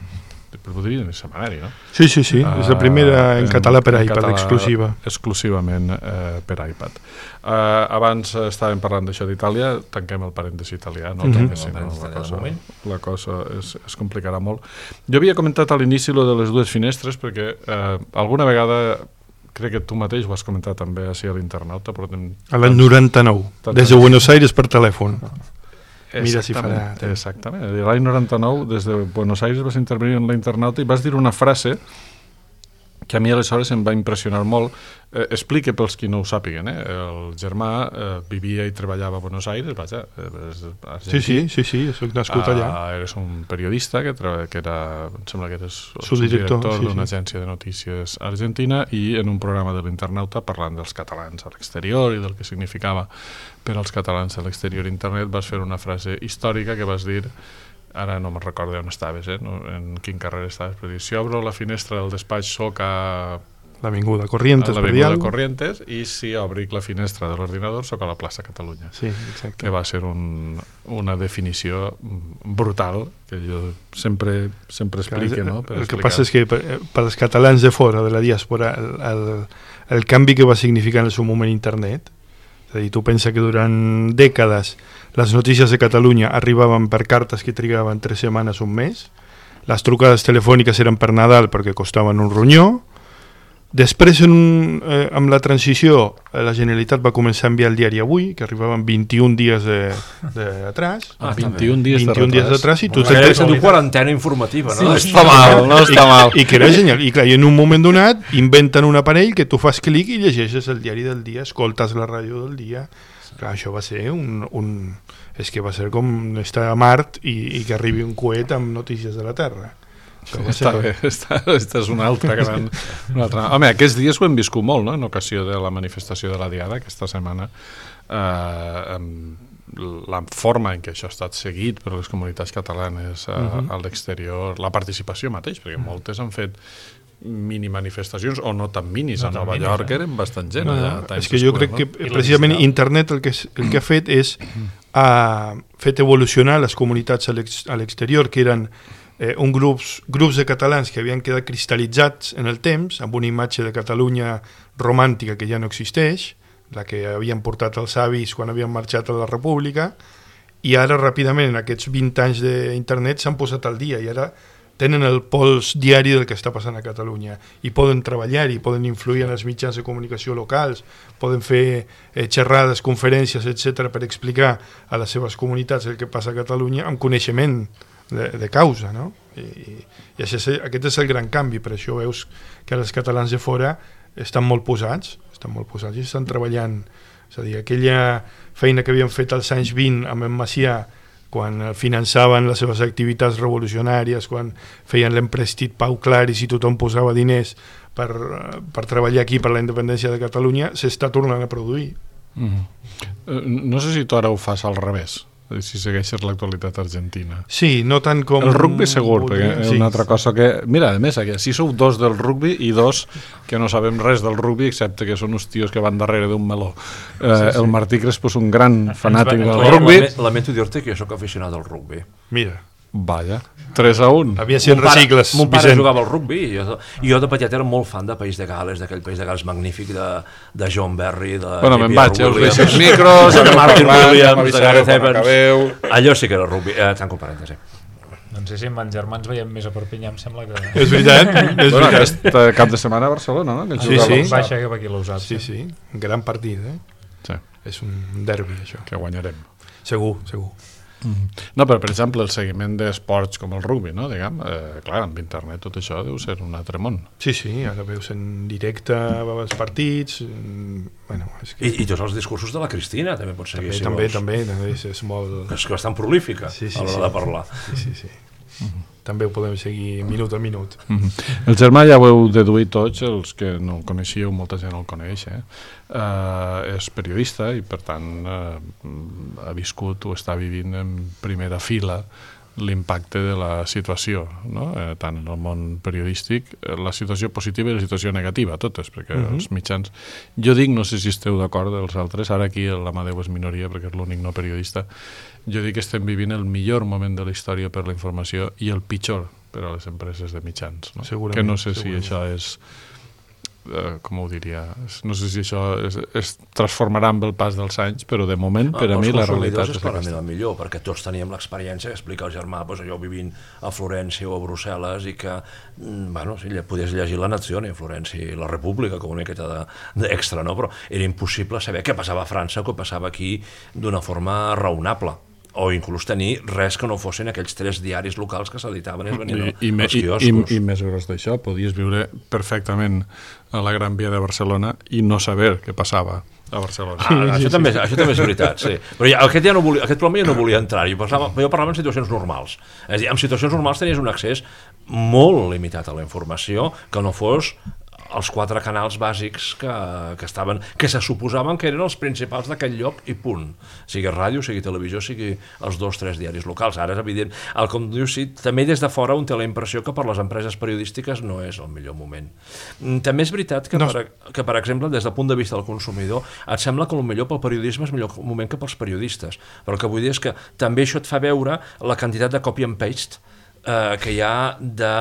podria dir setmanari, no? Sí, és la primera en català per iPad, exclusiva. Exclusivament per iPad. Abans estàvem parlant d'això d'Itàlia, tanquem el parèntesi italià, no? Perquè si no la cosa es complicarà molt. Jo havia comentat a l'inici lo de les dues finestres perquè alguna vegada crec que tu mateix ho has comentat també a l'internauta. A l'any 99, des de Buenos Aires per telèfon. Mira si farà... Exactament. L'any 99, des de Buenos Aires vas intervenir en l'internauta i vas dir una frase que a mi aleshores em va impressionar molt. Explique pels qui no ho sàpiguen. El germà vivia i treballava a Buenos Aires, vaja, Sí, soc nascut allà. Eres un periodista que era, em sembla que eres subdirector d'una agència de notícies argentina, i en un programa de l'internauta, parlant dels catalans a l'exterior i del que significava per als catalans a l'exterior internet, vas fer una frase històrica que vas dir, ara no me'n recordo on estaves, en quin carrer estaves, però dir, si obro la finestra del despatx soc a l'Avinguda Corrientes, i si obric la finestra de l'ordinador soc a la plaça Catalunya. Sí, exacte. Que va ser una definició brutal, que jo sempre explique, no? El que passa és que per als catalans de fora de la diàspora el canvi que va significar en el seu moment internet, és a dir, tu pensa que durant dècades les notícies de Catalunya arribaven per cartes que trigaven 3 setmanes, un mes, les trucades telefòniques eren per Nadal perquè costaven un ronyó. Després, amb la transició, la Generalitat va començar a enviar el diari Avui, que arribaven 21 dies d'atràs. 21 dies d'atràs. Se diu quarantena informativa, no? No està mal. I que era genial. I clar, en un moment donat inventen un aparell que tu fas clic i llegeixes el diari del dia, escoltes la ràdio del dia. Clar, això va ser és que va ser com estar a Mart i que arribi un coet amb notícies de la Terra. Està bé, aquesta és una altra gran... Home, aquests dies ho hem viscut molt, no?, en ocasió de la manifestació de la Diada, aquesta setmana, la forma en què això ha estat seguit per les comunitats catalanes a l'exterior, la participació mateix, perquè moltes han fet mini manifestacions, o no tan minis, a Nova York eren bastant gent. És que jo crec que precisament internet el que ha fet és ha fet evolucionar les comunitats a l'exterior, que eren grups de catalans que havien quedat cristal·litzats en el temps, amb una imatge de Catalunya romàntica que ja no existeix, la que havien portat els avis quan havien marxat a la República, i ara ràpidament en aquests 20 anys d'internet s'han posat al dia i ara tenen el pols diari del que està passant a Catalunya i poden treballar-hi, poden influir en els mitjans de comunicació locals, poden fer xerrades, conferències, etc., per explicar a les seves comunitats el que passa a Catalunya amb coneixement de causa, no? I aquest és el gran canvi. Per això veus que els catalans de fora estan molt posats i estan treballant. És a dir, aquella feina que havien fet als anys 20 amb en Macià, quan finançaven les seves activitats revolucionàries, quan feien l'emprestit Pau Claris i tothom posava diners per treballar aquí per la independència de Catalunya, s'està tornant a produir. No sé si tu ara ho fas al revés, si segueixes l'actualitat argentina. Sí, no tant com... El rugby segur, perquè és una altra cosa que... Mira, a més, aquí sou 2 del rugby i 2 que no sabem res del rugby, excepte que són uns tios que van darrere d'un meló. El Martí Crespo és un gran fanàtic del rugby. Lamento dir-te que jo soc aficionat al rugby. Mira. Vaja, 3-1. Havia sigut recicles, Mon pare jugava al rugby i jo de petit era molt fan de País de Gales, d'aquell País de Gales magnífic de John Barry, de me'n vaig, els deixes micros, de Martin Williams, de Gareth Evans. Allò sí que era rugby. Tanco parèntesi. No sé si amb els germans veiem més a Perpinyà, em sembla que... És veritat. Aquest cap de setmana a Barcelona, no? Sí. Baixa cap aquí l'Usat. Sí. Un gran partit, Sí. És un derbi, això. Que guanyarem. Segur. No, però per exemple el seguiment d'esports com el rugby, no? Diguem, clar, amb internet tot això deu ser un altre món. Sí, ara veus en directe els partits, bueno, és que... I tots els discursos de la Cristina també pots seguir, si vols. També, és molt... És que bastant prolífica a l'hora de parlar. Sí. També ho podem seguir minut a minut. El germà ja ho heu deduït tots, els que no el coneixíeu, molta gent el coneix, és periodista i per tant ha viscut o està vivint en primera fila l'impacte de la situació, no? Tant en el món periodístic, la situació positiva i la situació negativa, totes, perquè els mitjans... Jo dic, no sé si esteu d'acord els altres, ara aquí l'Amadeu és minoria perquè és l'únic no periodista, jo dic que estem vivint el millor moment de la història per la informació i el pitjor per a les empreses de mitjans, no? Que no sé si això és com ho diria, no sé si això es transformarà amb el pas dels anys, però de moment, per a mi, la realitat és clarament el millor, perquè tots teníem l'experiència que explica el germà, jo vivint a Florència o a Brussel·les i que, podies llegir La Nazione a Florència i La República com una miqueta d'extra, no? Però era impossible saber què passava a França o què passava aquí d'una forma raonable, o inclús tenir res que no fossin aquells 3 diaris locals que s'editaven i es venien als quioscos. I més gros d'això, podies viure perfectament a la Gran Via de Barcelona i no saber què passava a Barcelona. Això també és veritat, sí. Però aquest problema ja no volia entrar. Jo parlava en situacions normals. És a dir, en situacions normals tenies un accés molt limitat a la informació que no fos els 4 canals bàsics que se suposaven que eren els principals d'aquell lloc i punt. Sigui ràdio, sigui televisió, sigui els 2-3 diaris locals. Ara és evident. Com dius, sí, també des de fora un té la impressió que per les empreses periodístiques no és el millor moment. També és veritat que, per exemple, des del punt de vista del consumidor, et sembla que el millor pel periodisme és millor moment que pels periodistes. Però el que vull dir és que també això et fa veure la quantitat de copy and paste que hi ha de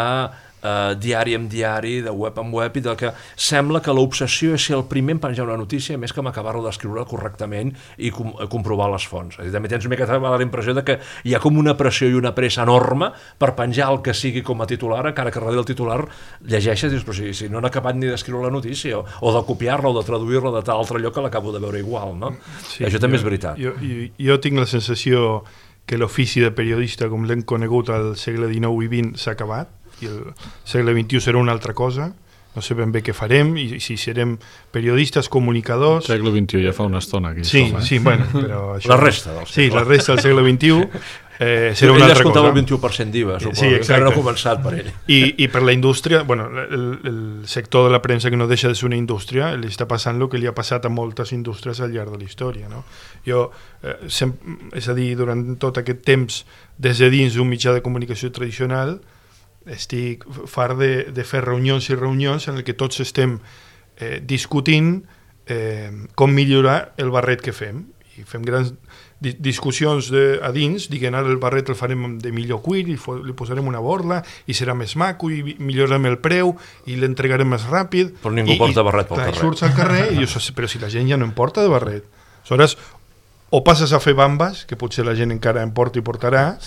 diari amb diari, de web amb web, i del que sembla que l'obsessió és ser el primer en penjar una notícia més que acabar-lo d'escriure correctament i comprovar les fonts. És a dir, també tens una mica la impressió de que hi ha com una pressió i una pressa enorme per penjar el que sigui com a titular, encara que darrere el titular llegeixes i dius, però si no han acabat ni d'escriure la notícia, o de copiar-la o de traduir-la de tal altre lloc que l'acabo de veure igual, no? Sí, això també és veritat. Jo tinc la sensació que l'ofici de periodista, com l'hem conegut al segle XIX i XX, s'ha acabat, i el segle XXI serà una altra cosa, no sé ben bé què farem, i si serem periodistes, comunicadors... El segle XXI ja fa una estona aquí. Sí, bueno, però... Això, la resta del segle. Sí, la resta del segle XXI serà una altra cosa. Ell el 21% d'IVA, suposo, sí, encara no ha començat per ell. I per la indústria, bueno, el sector de la premsa, que no deixa de ser una indústria, li està passant el que li ha passat a moltes indústries al llarg de la història, no? Jo, és a dir, durant tot aquest temps, des de dins d'un mitjà de comunicació tradicional, estic fart de fer reunions i reunions en què tots estem discutint com millorar el barret que fem, i fem grans discussions a dins, diguem ara el barret el farem de millor cuir i li posarem una borla i serà més maco i millorarem el preu i l'entregarem més ràpid, però ningú porta barret pel carrer. Surts al carrer i dius, però si la gent ja no em porta de barret, aleshores o passes a fer bambes, que potser la gent encara em porta i portarà,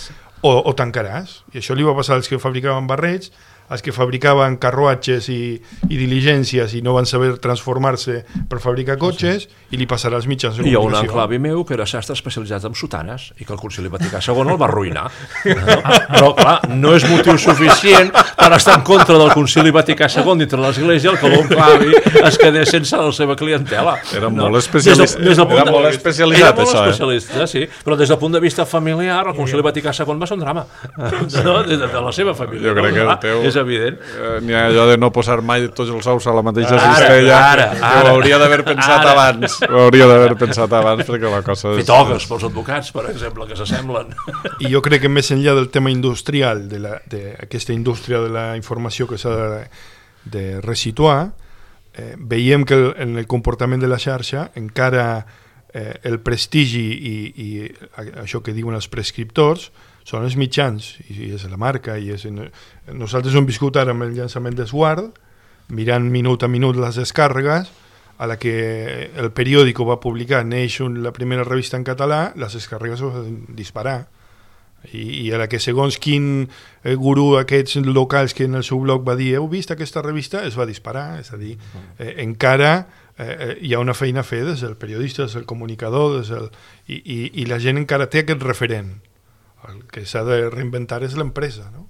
o tancaràs. I això li va passar als que fabricaven barrets, als que fabricaven carruatges i diligències i no van saber transformar-se per fabricar cotxes, i li passarà als mitjans de comunicació. Hi ha un enclavi meu que era sastre especialitzat en sotanes i que el Concili Vaticà II el va arruïnar. No? Però, clar, no és motiu suficient per estar en contra del Concili Vaticà II dintre l'Església el que l'enclavi es quedés sense la seva clientela. Era molt especialitzat, sí, però des del punt de vista familiar el Concili Vaticà II va ser un drama, no? Des de la seva família. Jo crec que el teu... És evident. N'hi ha allò de no posar mai tots els ous a la mateixa cistella. Ho hauria d'haver pensat abans. Ho hauria d'haver pensat abans, perquè la cosa és... Fer togues pels advocats, per exemple, que s'assemblen. I jo crec que més enllà del tema industrial, d'aquesta indústria de la informació que s'ha de resituar, veiem que en el comportament de la xarxa encara el prestigi i això que diuen els prescriptors són els mitjans, i és la marca, i nosaltres hem viscut ara amb el llançament d'Esguard, mirant minut a minut les descàrregues, a la que el periòdico va publicar neix la primera revista en català, les descàrregues es van disparar, i a la que segons quin gurú aquests locals que en el seu blog va dir heu vist aquesta revista, es va disparar, és a dir, encara hi ha una feina a fer des del periodista, des del comunicador, i la gent encara té aquest referent. El que s'ha de reinventar és l'empresa, no?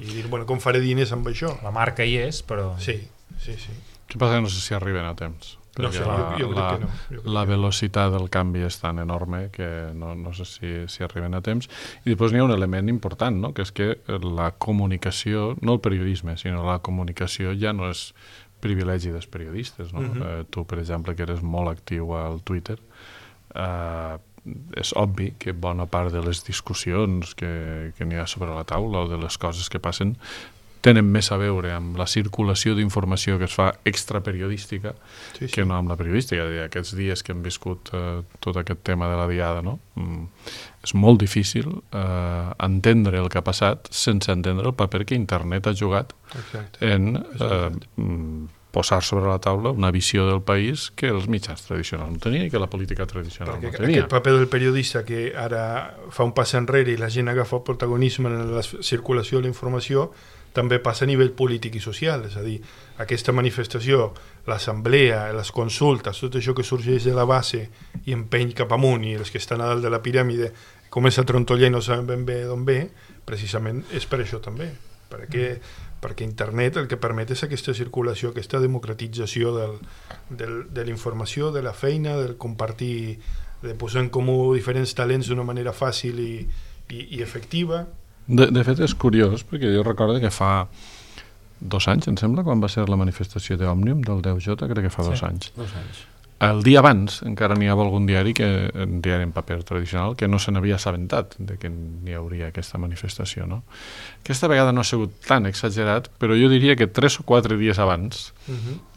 I dir, bueno, com faré diners amb això? La marca hi és, però... Sí. Què passa? No sé si arriben a temps. No sé, jo crec que no. La velocitat del canvi és tan enorme que no sé si arriben a temps. I després n'hi ha un element important, no? Que és que la comunicació, no el periodisme, sinó la comunicació ja no és privilegi dels periodistes, no? Tu, per exemple, que eres molt actiu al Twitter, és obvi que bona part de les discussions que n'hi ha sobre la taula o de les coses que passen tenen més a veure amb la circulació d'informació que es fa extraperiodística que no amb la periodística. Aquests dies que hem viscut tot aquest tema de la diada, no? És molt difícil entendre el que ha passat sense entendre el paper que internet ha jugat en posar sobre la taula una visió del país que els mitjans tradicionals no tenien i que la política tradicional no tenia. Aquest paper del periodista que ara fa un pas enrere i la gent agafa el protagonisme en la circulació de la informació també passa a nivell polític i social, és a dir, aquesta manifestació, l'assemblea, les consultes, tot això que sorgeix de la base i empeny cap amunt i els que estan a dalt de la piràmide comença a trontollar i no saben ben bé d'on ve, precisament és per això també, perquè internet el que permet és aquesta circulació, aquesta democratització de la informació, de la feina, del compartir, de posar en comú diferents talents d'una manera fàcil i efectiva. De fet és curiós, perquè jo recordo que fa 2 anys, em sembla, quan va ser la manifestació d'Òmnium del 10J, crec que fa 2 anys. 2 anys. El dia abans encara n'hi havia algun diari, un diari en paper tradicional, que no se n'havia assabentat de que n'hi hauria aquesta manifestació, no? Aquesta vegada no ha sigut tan exagerat, però jo diria que 3 o 4 dies abans,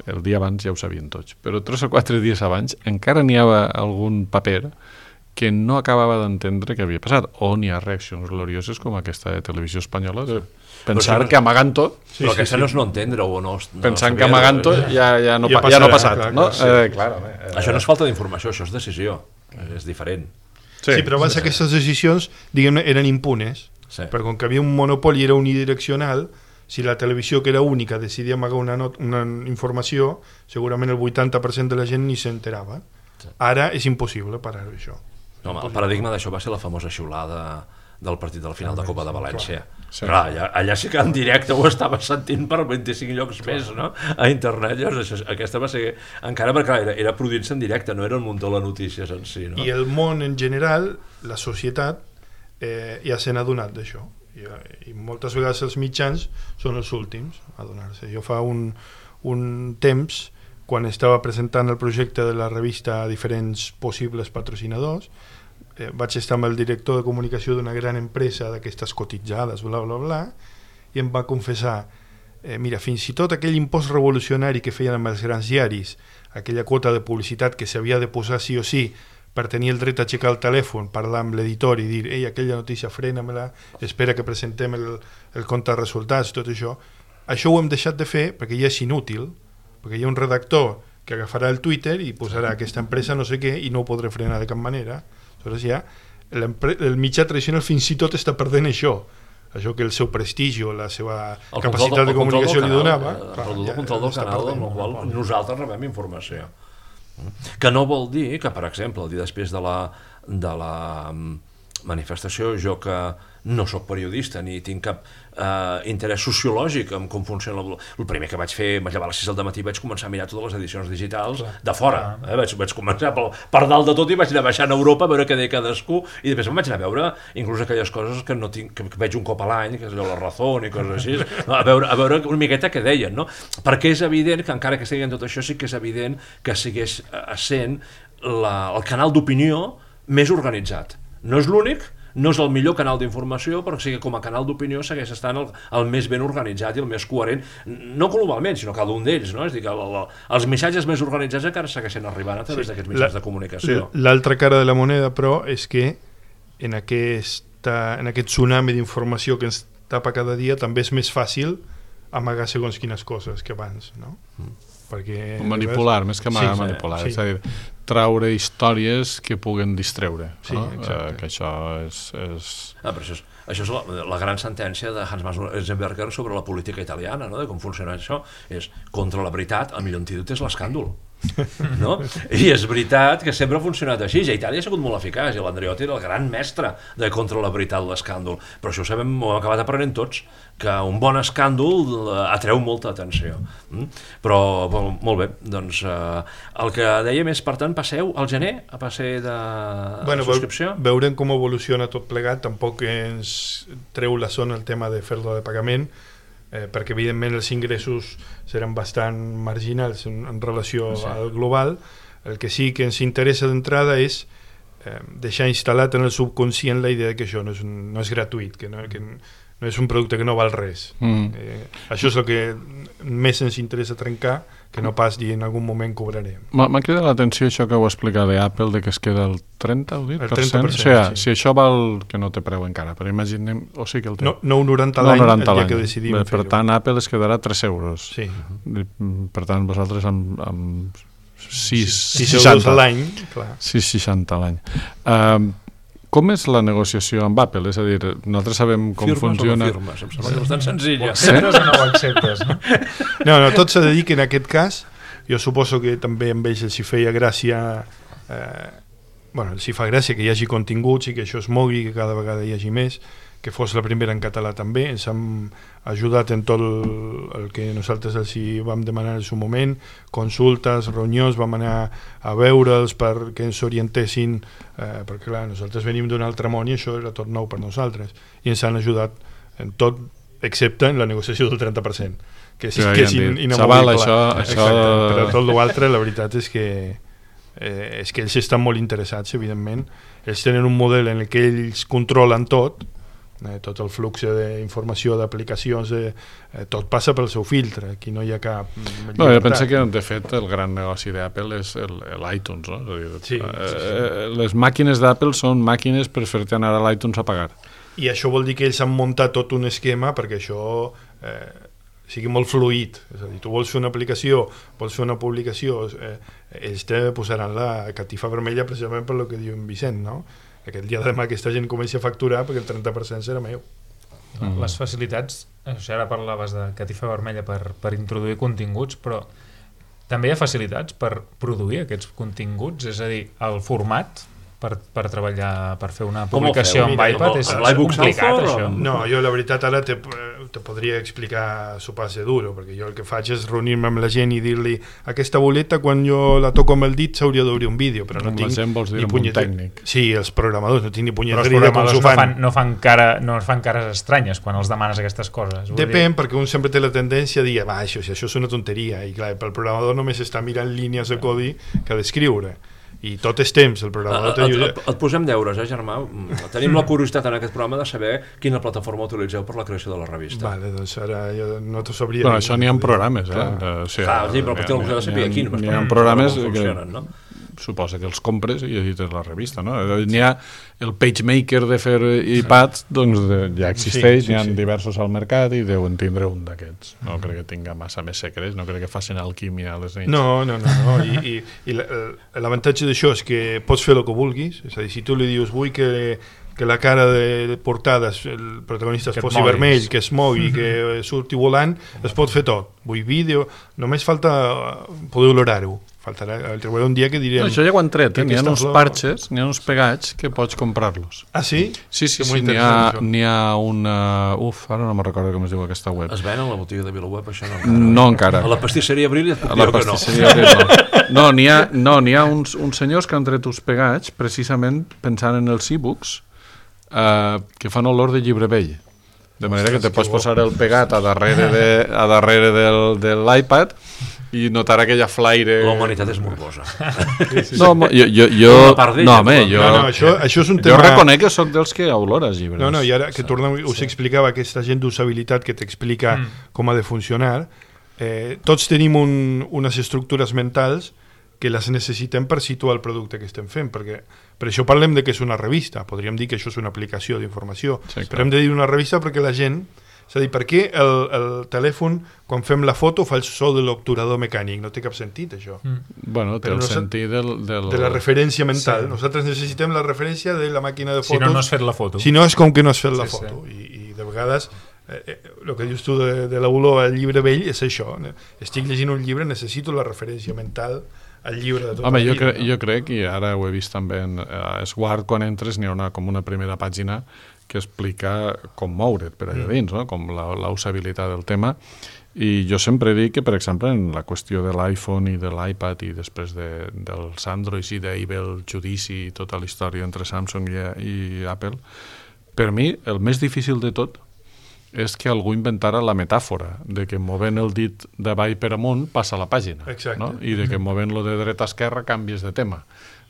el dia abans ja ho sabien tots, però 3 o 4 dies abans encara n'hi havia algun paper que no acabava d'entendre què havia passat, o n'hi ha reaccions glorioses com aquesta de Televisió Espanyola, de pensar que amagant tot... Però aquesta no és no entendre o no... Pensant que amagant tot ja no ha passat, no? Això no és falta d'informació, això és decisió, és diferent. Sí, però abans aquestes decisions, diguem-ne, eren impunes, perquè com que havia un monopoli, era unidireccional, si la televisió, que era única, decidia amagar una informació, segurament el 80% de la gent ni s'enterava. Ara és impossible parar això. No, el paradigma d'això va ser la famosa xiulada del partit de la final de Copa de València. Clar, allà sí que en directe ho estava sentint per 25 llocs més, no? A internet. Llavors, aquesta va ser... Encara perquè era produint-se en directe, no era un munt de les notícies en si, no? I el món en general, la societat, ja se n'ha adonat d'això. I moltes vegades els mitjans són els últims a adonar-se. Jo fa un temps, quan estava presentant el projecte de la revista a diferents possibles patrocinadors, vaig estar amb el director de comunicació d'una gran empresa d'aquestes cotitzades, bla, bla, bla, i em va confessar, mira, fins i tot aquell impost revolucionari que feien amb els grans diaris, aquella quota de publicitat que s'havia de posar sí o sí per tenir el dret a aixecar el telèfon, parlar amb l'editor i dir, ei, aquella notícia frena-me-la, espera que presentem el compte de resultats, tot això ho hem deixat de fer perquè ja és inútil, perquè hi ha un redactor que agafarà el Twitter i posarà aquesta empresa no sé què i no ho podré frenar de cap manera. Aleshores ja el mitjà tradicional fins i tot està perdent això que el seu prestigi o la seva capacitat de comunicació li donava. El control del canal amb el qual nosaltres rebem informació. Que no vol dir que, per exemple, el dia després de la manifestació, jo que no sóc periodista ni tinc cap interès sociològic en com funciona el primer que vaig fer, vaig llevar a les 6 del matí i vaig començar a mirar totes les edicions digitals de fora, vaig començar per dalt de tot i vaig anar baixant a Europa a veure què deia cadascú i després em vaig anar a veure inclús aquelles coses que no tinc, que veig un cop a l'any, que és allò La Razón i coses així, a veure una miqueta què deien, no? Perquè és evident que encara que estigui en tot això sí que és evident que segueix sent el canal d'opinió més organitzat. No és l'únic, no és el millor canal d'informació, però sí que com a canal d'opinió segueix estant el més ben organitzat i el més coherent, no globalment, sinó cada un d'ells, no? És a dir, que els missatges més organitzats encara segueixen arribant a través d'aquests mitjans de comunicació. L'altra cara de la moneda, però, és que en aquest tsunami d'informació que ens tapa cada dia també és més fàcil amagar segons quines coses que abans, no? Perquè, manipular, més que manipular, és a dir, traure històries que puguen distreure, no? Que això és... Però això és la gran sentència de Hans Eisenberger sobre la política italiana, no? De com funciona això, és contra la veritat, el millor antídot és l'escàndol. No? I és veritat que sempre ha funcionat així, i a Itàlia ha sigut molt eficaç i l'Andreotti era el gran mestre de contra la veritat l'escàndol, però això ho sabem, ho hem acabat aprenent tots, que un bon escàndol atreu molta atenció. Però molt bé, doncs el que dèiem és, per tant, passeu al gener a passer de subscripció? Veurem com evoluciona tot plegat, tampoc ens treu la zona el tema de fer-lo de pagament, perquè evidentment els ingressos seran bastant marginals en relació al global. El que sí que ens interessa d'entrada és deixar instal·lat en el subconscient la idea que això no és gratuït, que no és un producte que no val res. Això és el que més ens interessa trencar que no pas dir en algun moment cobrarem. M'ha cridat l'atenció això que ho explica d'Apple, de que es queda el 30%, o 10%? El 30%, o sigui, si això val, que no té preu encara, però imaginem, o sigui que el té. No, 9,90 l'any el dia que decidim fer-ho. Per tant, Apple es quedarà 3 euros. Sí. Per tant, vosaltres amb 6 euros a l'any, clar. 6,60 a l'any. Com és la negociació amb Apple? És a dir, nosaltres sabem com funciona... Firmes o no firmes? Em sembla que és bastant senzilla. Ho acceptes o no ho acceptes? No, tot s'ha de dir que en aquest cas, jo suposo que també amb ells els hi feia gràcia... els hi fa gràcia que hi hagi continguts i que això es mogui, que cada vegada hi hagi més, que fos la primera en català també. Ens han ajudat en tot el que nosaltres els hi vam demanar en el seu moment, consultes, reunions, vam anar a veure'ls perquè ens orientessin, perquè clar, nosaltres venim d'un altre món i això era tot nou per nosaltres, i ens han ajudat en tot, excepte en la negociació del 30%, que és inamovible. Això... Però tot l'altre, la veritat és que ells estan molt interessats, evidentment. Ells tenen un model en el que ells controlen tot el flux d'informació, d'aplicacions, tot passa pel seu filtre, aquí no hi ha cap llibertat. Jo penso que de fet el gran negoci d'Apple és l'iTunes, no? Sí. Les màquines d'Apple són màquines per fer-te anar a l'iTunes a pagar. I això vol dir que ells han muntat tot un esquema perquè això sigui molt fluid, és a dir, tu vols fer una aplicació, vols fer una publicació, ells te posaran la catifa vermella precisament per el que diu en Vicent, no? Aquest dia de demà aquesta gent comença a facturar perquè el 30% serà meu. Les facilitats, ara parlaves de catifa vermella per introduir continguts, però també hi ha facilitats per produir aquests continguts, és a dir, el format per treballar, per fer una publicació amb iPad és complicat, això. No, jo la veritat ara te podria explicar su passe duro, perquè jo el que faig és reunir-me amb la gent i dir-li aquesta boleta quan jo la toco amb el dit s'hauria d'obrir un vídeo, però no tinc ni punyetera. Sí, els programadors no tinc ni punyetera idea com s'ho fan. No fan cares estranyes quan els demanes aquestes coses. Depèn, perquè un sempre té la tendència a dir això és una tonteria, i clar, pel programador només està mirant línies de codi que ha d'escriure. I tot és temps, el programador... Et posem deures, germà? Tenim la curiositat en aquest programa de saber quina plataforma utilitzeu per la creació de la revista. Vale, doncs ara jo no t'ho sabria... Però això n'hi ha programes, Clar, però potser algú s'ha de saber aquí. N'hi ha programes que suposa que els compres i edites la revista, no? N'hi ha el PageMaker de fer iPads, doncs ja existeix, n'hi ha diversos al mercat i deuen tindre un d'aquests. No crec que tinga massa més secrets, no crec que facin alquímia a les nits. No. I l'avantatge d'això és que pots fer el que vulguis, és a dir, si tu li dius vull que la cara de portada, el protagonista es posi vermell, que es mogui, que surti volant, es pot fer tot. Vull vídeo, només falta poder olorar-ho. Faltarà un dia que direm... Això ja ho han tret, n'hi ha uns parches, n'hi ha uns pegats que pots comprar-los. Ah, sí? Sí, n'hi ha una... ara no me'n recordo com es diu aquesta web. Es ven a la botiga de VilaWeb, això no? No encara. A la pastisseria Abril ja et puc dir que no. No, n'hi ha uns senyors que han tret uns pegats precisament pensant en els e-books que fan olor de llibre vell. De manera que te pots posar el pegat a darrere de l'iPad i notar aquella flaire... La humanitat és morbosa. Això és un tema... Jo reconec que soc dels que olores llibres. No, i ara que tornem, us explicava aquesta gent d'usabilitat que t'explica com ha de funcionar, tots tenim unes estructures mentals que les necessitem per situar el producte que estem fent, perquè per això parlem de que és una revista, podríem dir que això és una aplicació d'informació, però hem de dir una revista perquè la gent... És a dir, per què el telèfon, quan fem la foto, fa el so de l'obturador mecànic? No té cap sentit, això. Bueno, té el sentit de la referència mental. Nosaltres necessitem la referència de la màquina de fotos. Si no has fet la foto. Si no, és com que no has fet la foto. I de vegades, el que dius tu de l'olor al llibre vell és això. Estic llegint un llibre, necessito la referència mental al llibre de tot el llibre. Jo crec, i ara ho he vist també en Swart, quan entres n'hi ha com una primera pàgina que explica com moure't per allà dins, no? Com la usabilitat del tema. I jo sempre dic que, per exemple, en la qüestió de l'iPhone i de l'iPad i després dels Androids i d'Apple, judici i tota la història entre Samsung i Apple, per mi el més difícil de tot és que algú inventara la metàfora de que movent el dit d'avall per amunt passa la pàgina. Exacte. No? I de que movent-lo de dreta a esquerra canvies de tema.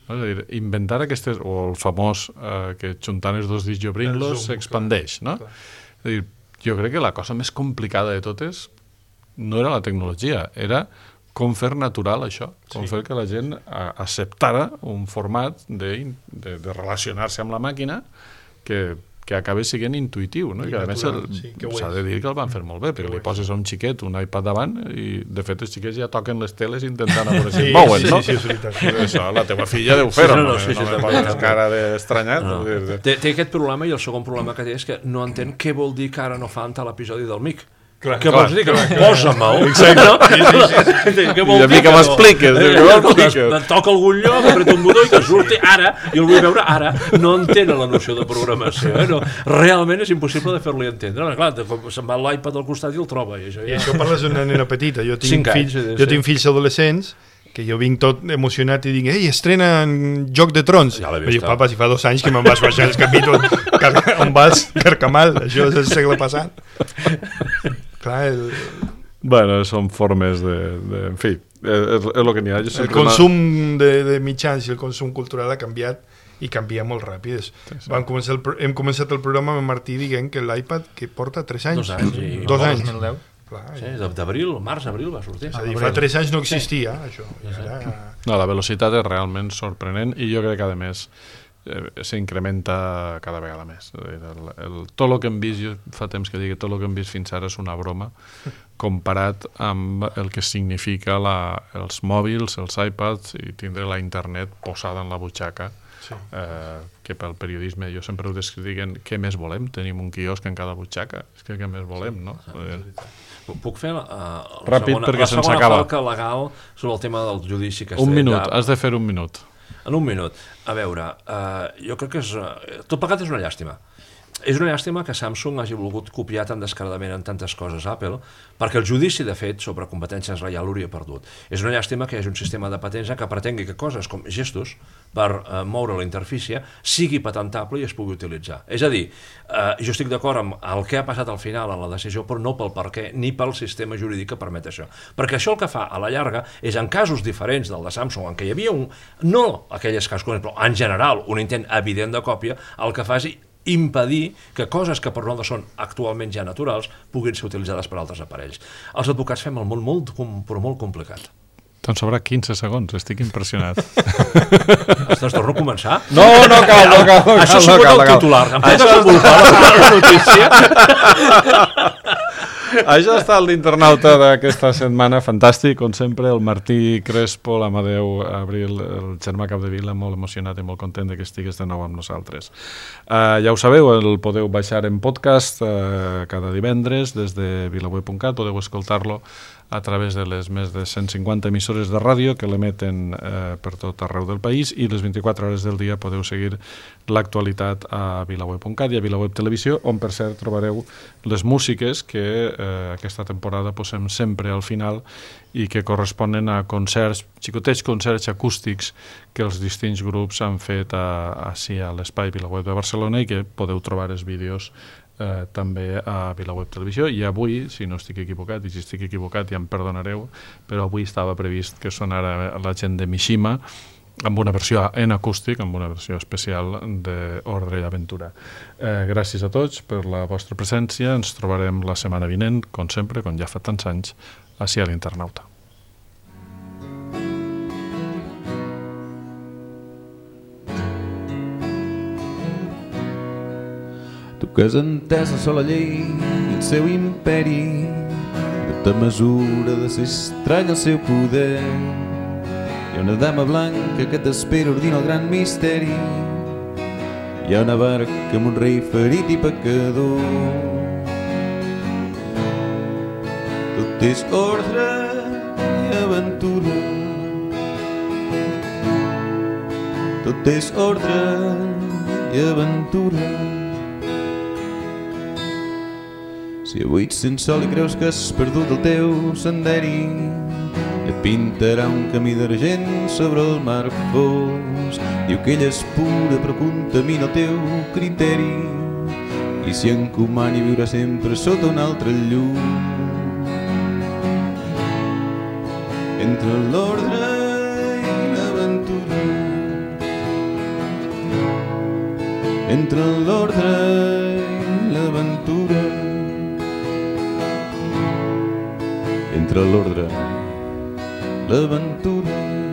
No? És a dir, inventar aquestes, o el famós que juntant els dos dits i obrint-los s'expandeix. No? És a dir, jo crec que la cosa més complicada de tot és no era la tecnologia, era com fer natural això, com fer que la gent acceptara un format de relacionar-se amb la màquina que acaba sent intuïtiu, no? I que a més s'ha de dir que el van fer molt bé, perquè li poses a un xiquet un iPad davant i de fet els xiquets ja toquen les teles intentant a veure si es mouen, no? Sí, és veritat. Això la teva filla deu fer-ho, no me poses cara d'estranyat. Té aquest problema, i el segon problema que té és que no entén què vol dir que ara no fan tal episodi del MIC. Què vols dir? Que posa-me'l. I a mi que m'expliques. Toca algun lloc, apreta un botó i que surti ara, i el vull veure ara. No entén la noció de programació. Realment és impossible de fer-li entendre. Clar, se'n va l'iPad al costat i el troba. I això parles d'una nena petita. Jo tinc fills adolescents que jo vinc tot emocionat i dic, ei, estrenen Joc de Trons. Ja i dic, papa, si fa 2 anys que me'n vas baixar els capítols on vas Carcamal, això és el segle passat. Clar, bueno, són formes en fi, és el que n'hi ha. El consum de mitjans i el consum cultural ha canviat i canvia molt ràpid. Hem començat el programa amb Martí dient que l'iPad que porta 3 anys. 2 anys. 2010. Sí, d'abril, març-abril va sortir. Fa 3 anys no existia, això. No, la velocitat és realment sorprenent i jo crec que, a més, s'incrementa cada vegada més. Tot el que hem vist, jo fa temps que dic que tot el que hem vist fins ara és una broma comparat amb el que significa els mòbils, els iPads i tindre la internet posada en la butxaca. Que pel periodisme jo sempre ho descriuen què més volem, tenim un quiosc en cada butxaca, és que què més volem, no? Puc fer la segona falca legal sobre el tema del judici que un minut, has de fer un minut. En un minut. A veure, jo crec que tot plegat és una llàstima. És una llàstima que Samsung hagi volgut copiar tan descaradament en tantes coses Apple, perquè el judici, de fet, sobre competències ja l'hauria perdut. És una llàstima que hi hagi un sistema de patents que pretengui que coses com gestos per moure la interfície sigui patentable i es pugui utilitzar. És a dir, jo estic d'acord amb el que ha passat al final en la decisió, però no pel per què ni pel sistema jurídic que permet això. Perquè això el que fa a la llarga és, en casos diferents del de Samsung, en què hi havia no aquelles casos, però en general un intent evident de còpia, el que fa és impedir que coses que per nosaltres són actualment ja naturals puguin ser utilitzades per altres aparells. Els advocats fem el món molt complicat. Te'n sobra 15 segons, estic impressionat. Ostres, torno a començar? No cal. Això s'ho pot el titular. Em pot desenvolupar la notícia? Això ha estat l'internauta d'aquesta setmana, fantàstic, com sempre, el Martí Crespo, l'Amadeu Abril, el germà Capdevila, molt emocionat i molt content que estigués de nou amb nosaltres. Ja ho sabeu, el podeu baixar en podcast cada divendres des de vilaweb.cat, podeu escoltar-lo a través de les més de 150 emissores de ràdio que l'emeten per tot arreu del país, i les 24 hores del dia podeu seguir l'actualitat a vilaweb.cat i a Vilaweb Televisió, on per cert trobareu les músiques que aquesta temporada posem sempre al final i que corresponen a concerts, xicotets concerts acústics que els distints grups han fet així a l'espai Vilaweb de Barcelona i que podeu trobar els vídeos també a Vilaweb Televisió. I avui, si no estic equivocat, i si estic equivocat ja em perdonareu, però avui estava previst que sonara la gent de Mishima amb una versió en acústic, amb una versió especial d'Ordre i Aventura. Gràcies a tots per la vostra presència. Ens trobarem la setmana vinent, com sempre, com ja fa tants anys, així a l'Internauta. Tu que has entès la sola llei i el seu imperi, no te mesura de ser estrany el seu poder. Hi ha una dama blanca que t'espera, ordina el gran misteri. Hi ha una barca amb un rei ferit i pecador. Tot és ordre i aventura. Tot és ordre i aventura. Si avui ets sense sol i creus que has perdut el teu senderi, et pintarà un camí d'argent sobre el mar fos. Diu que ella és pura però contamina el teu criteri, i si encomani viurà sempre sota un altre llum. Entre l'ordre i l'aventura, entre l'ordre i l'aventura, entre l'ordre, l'aventura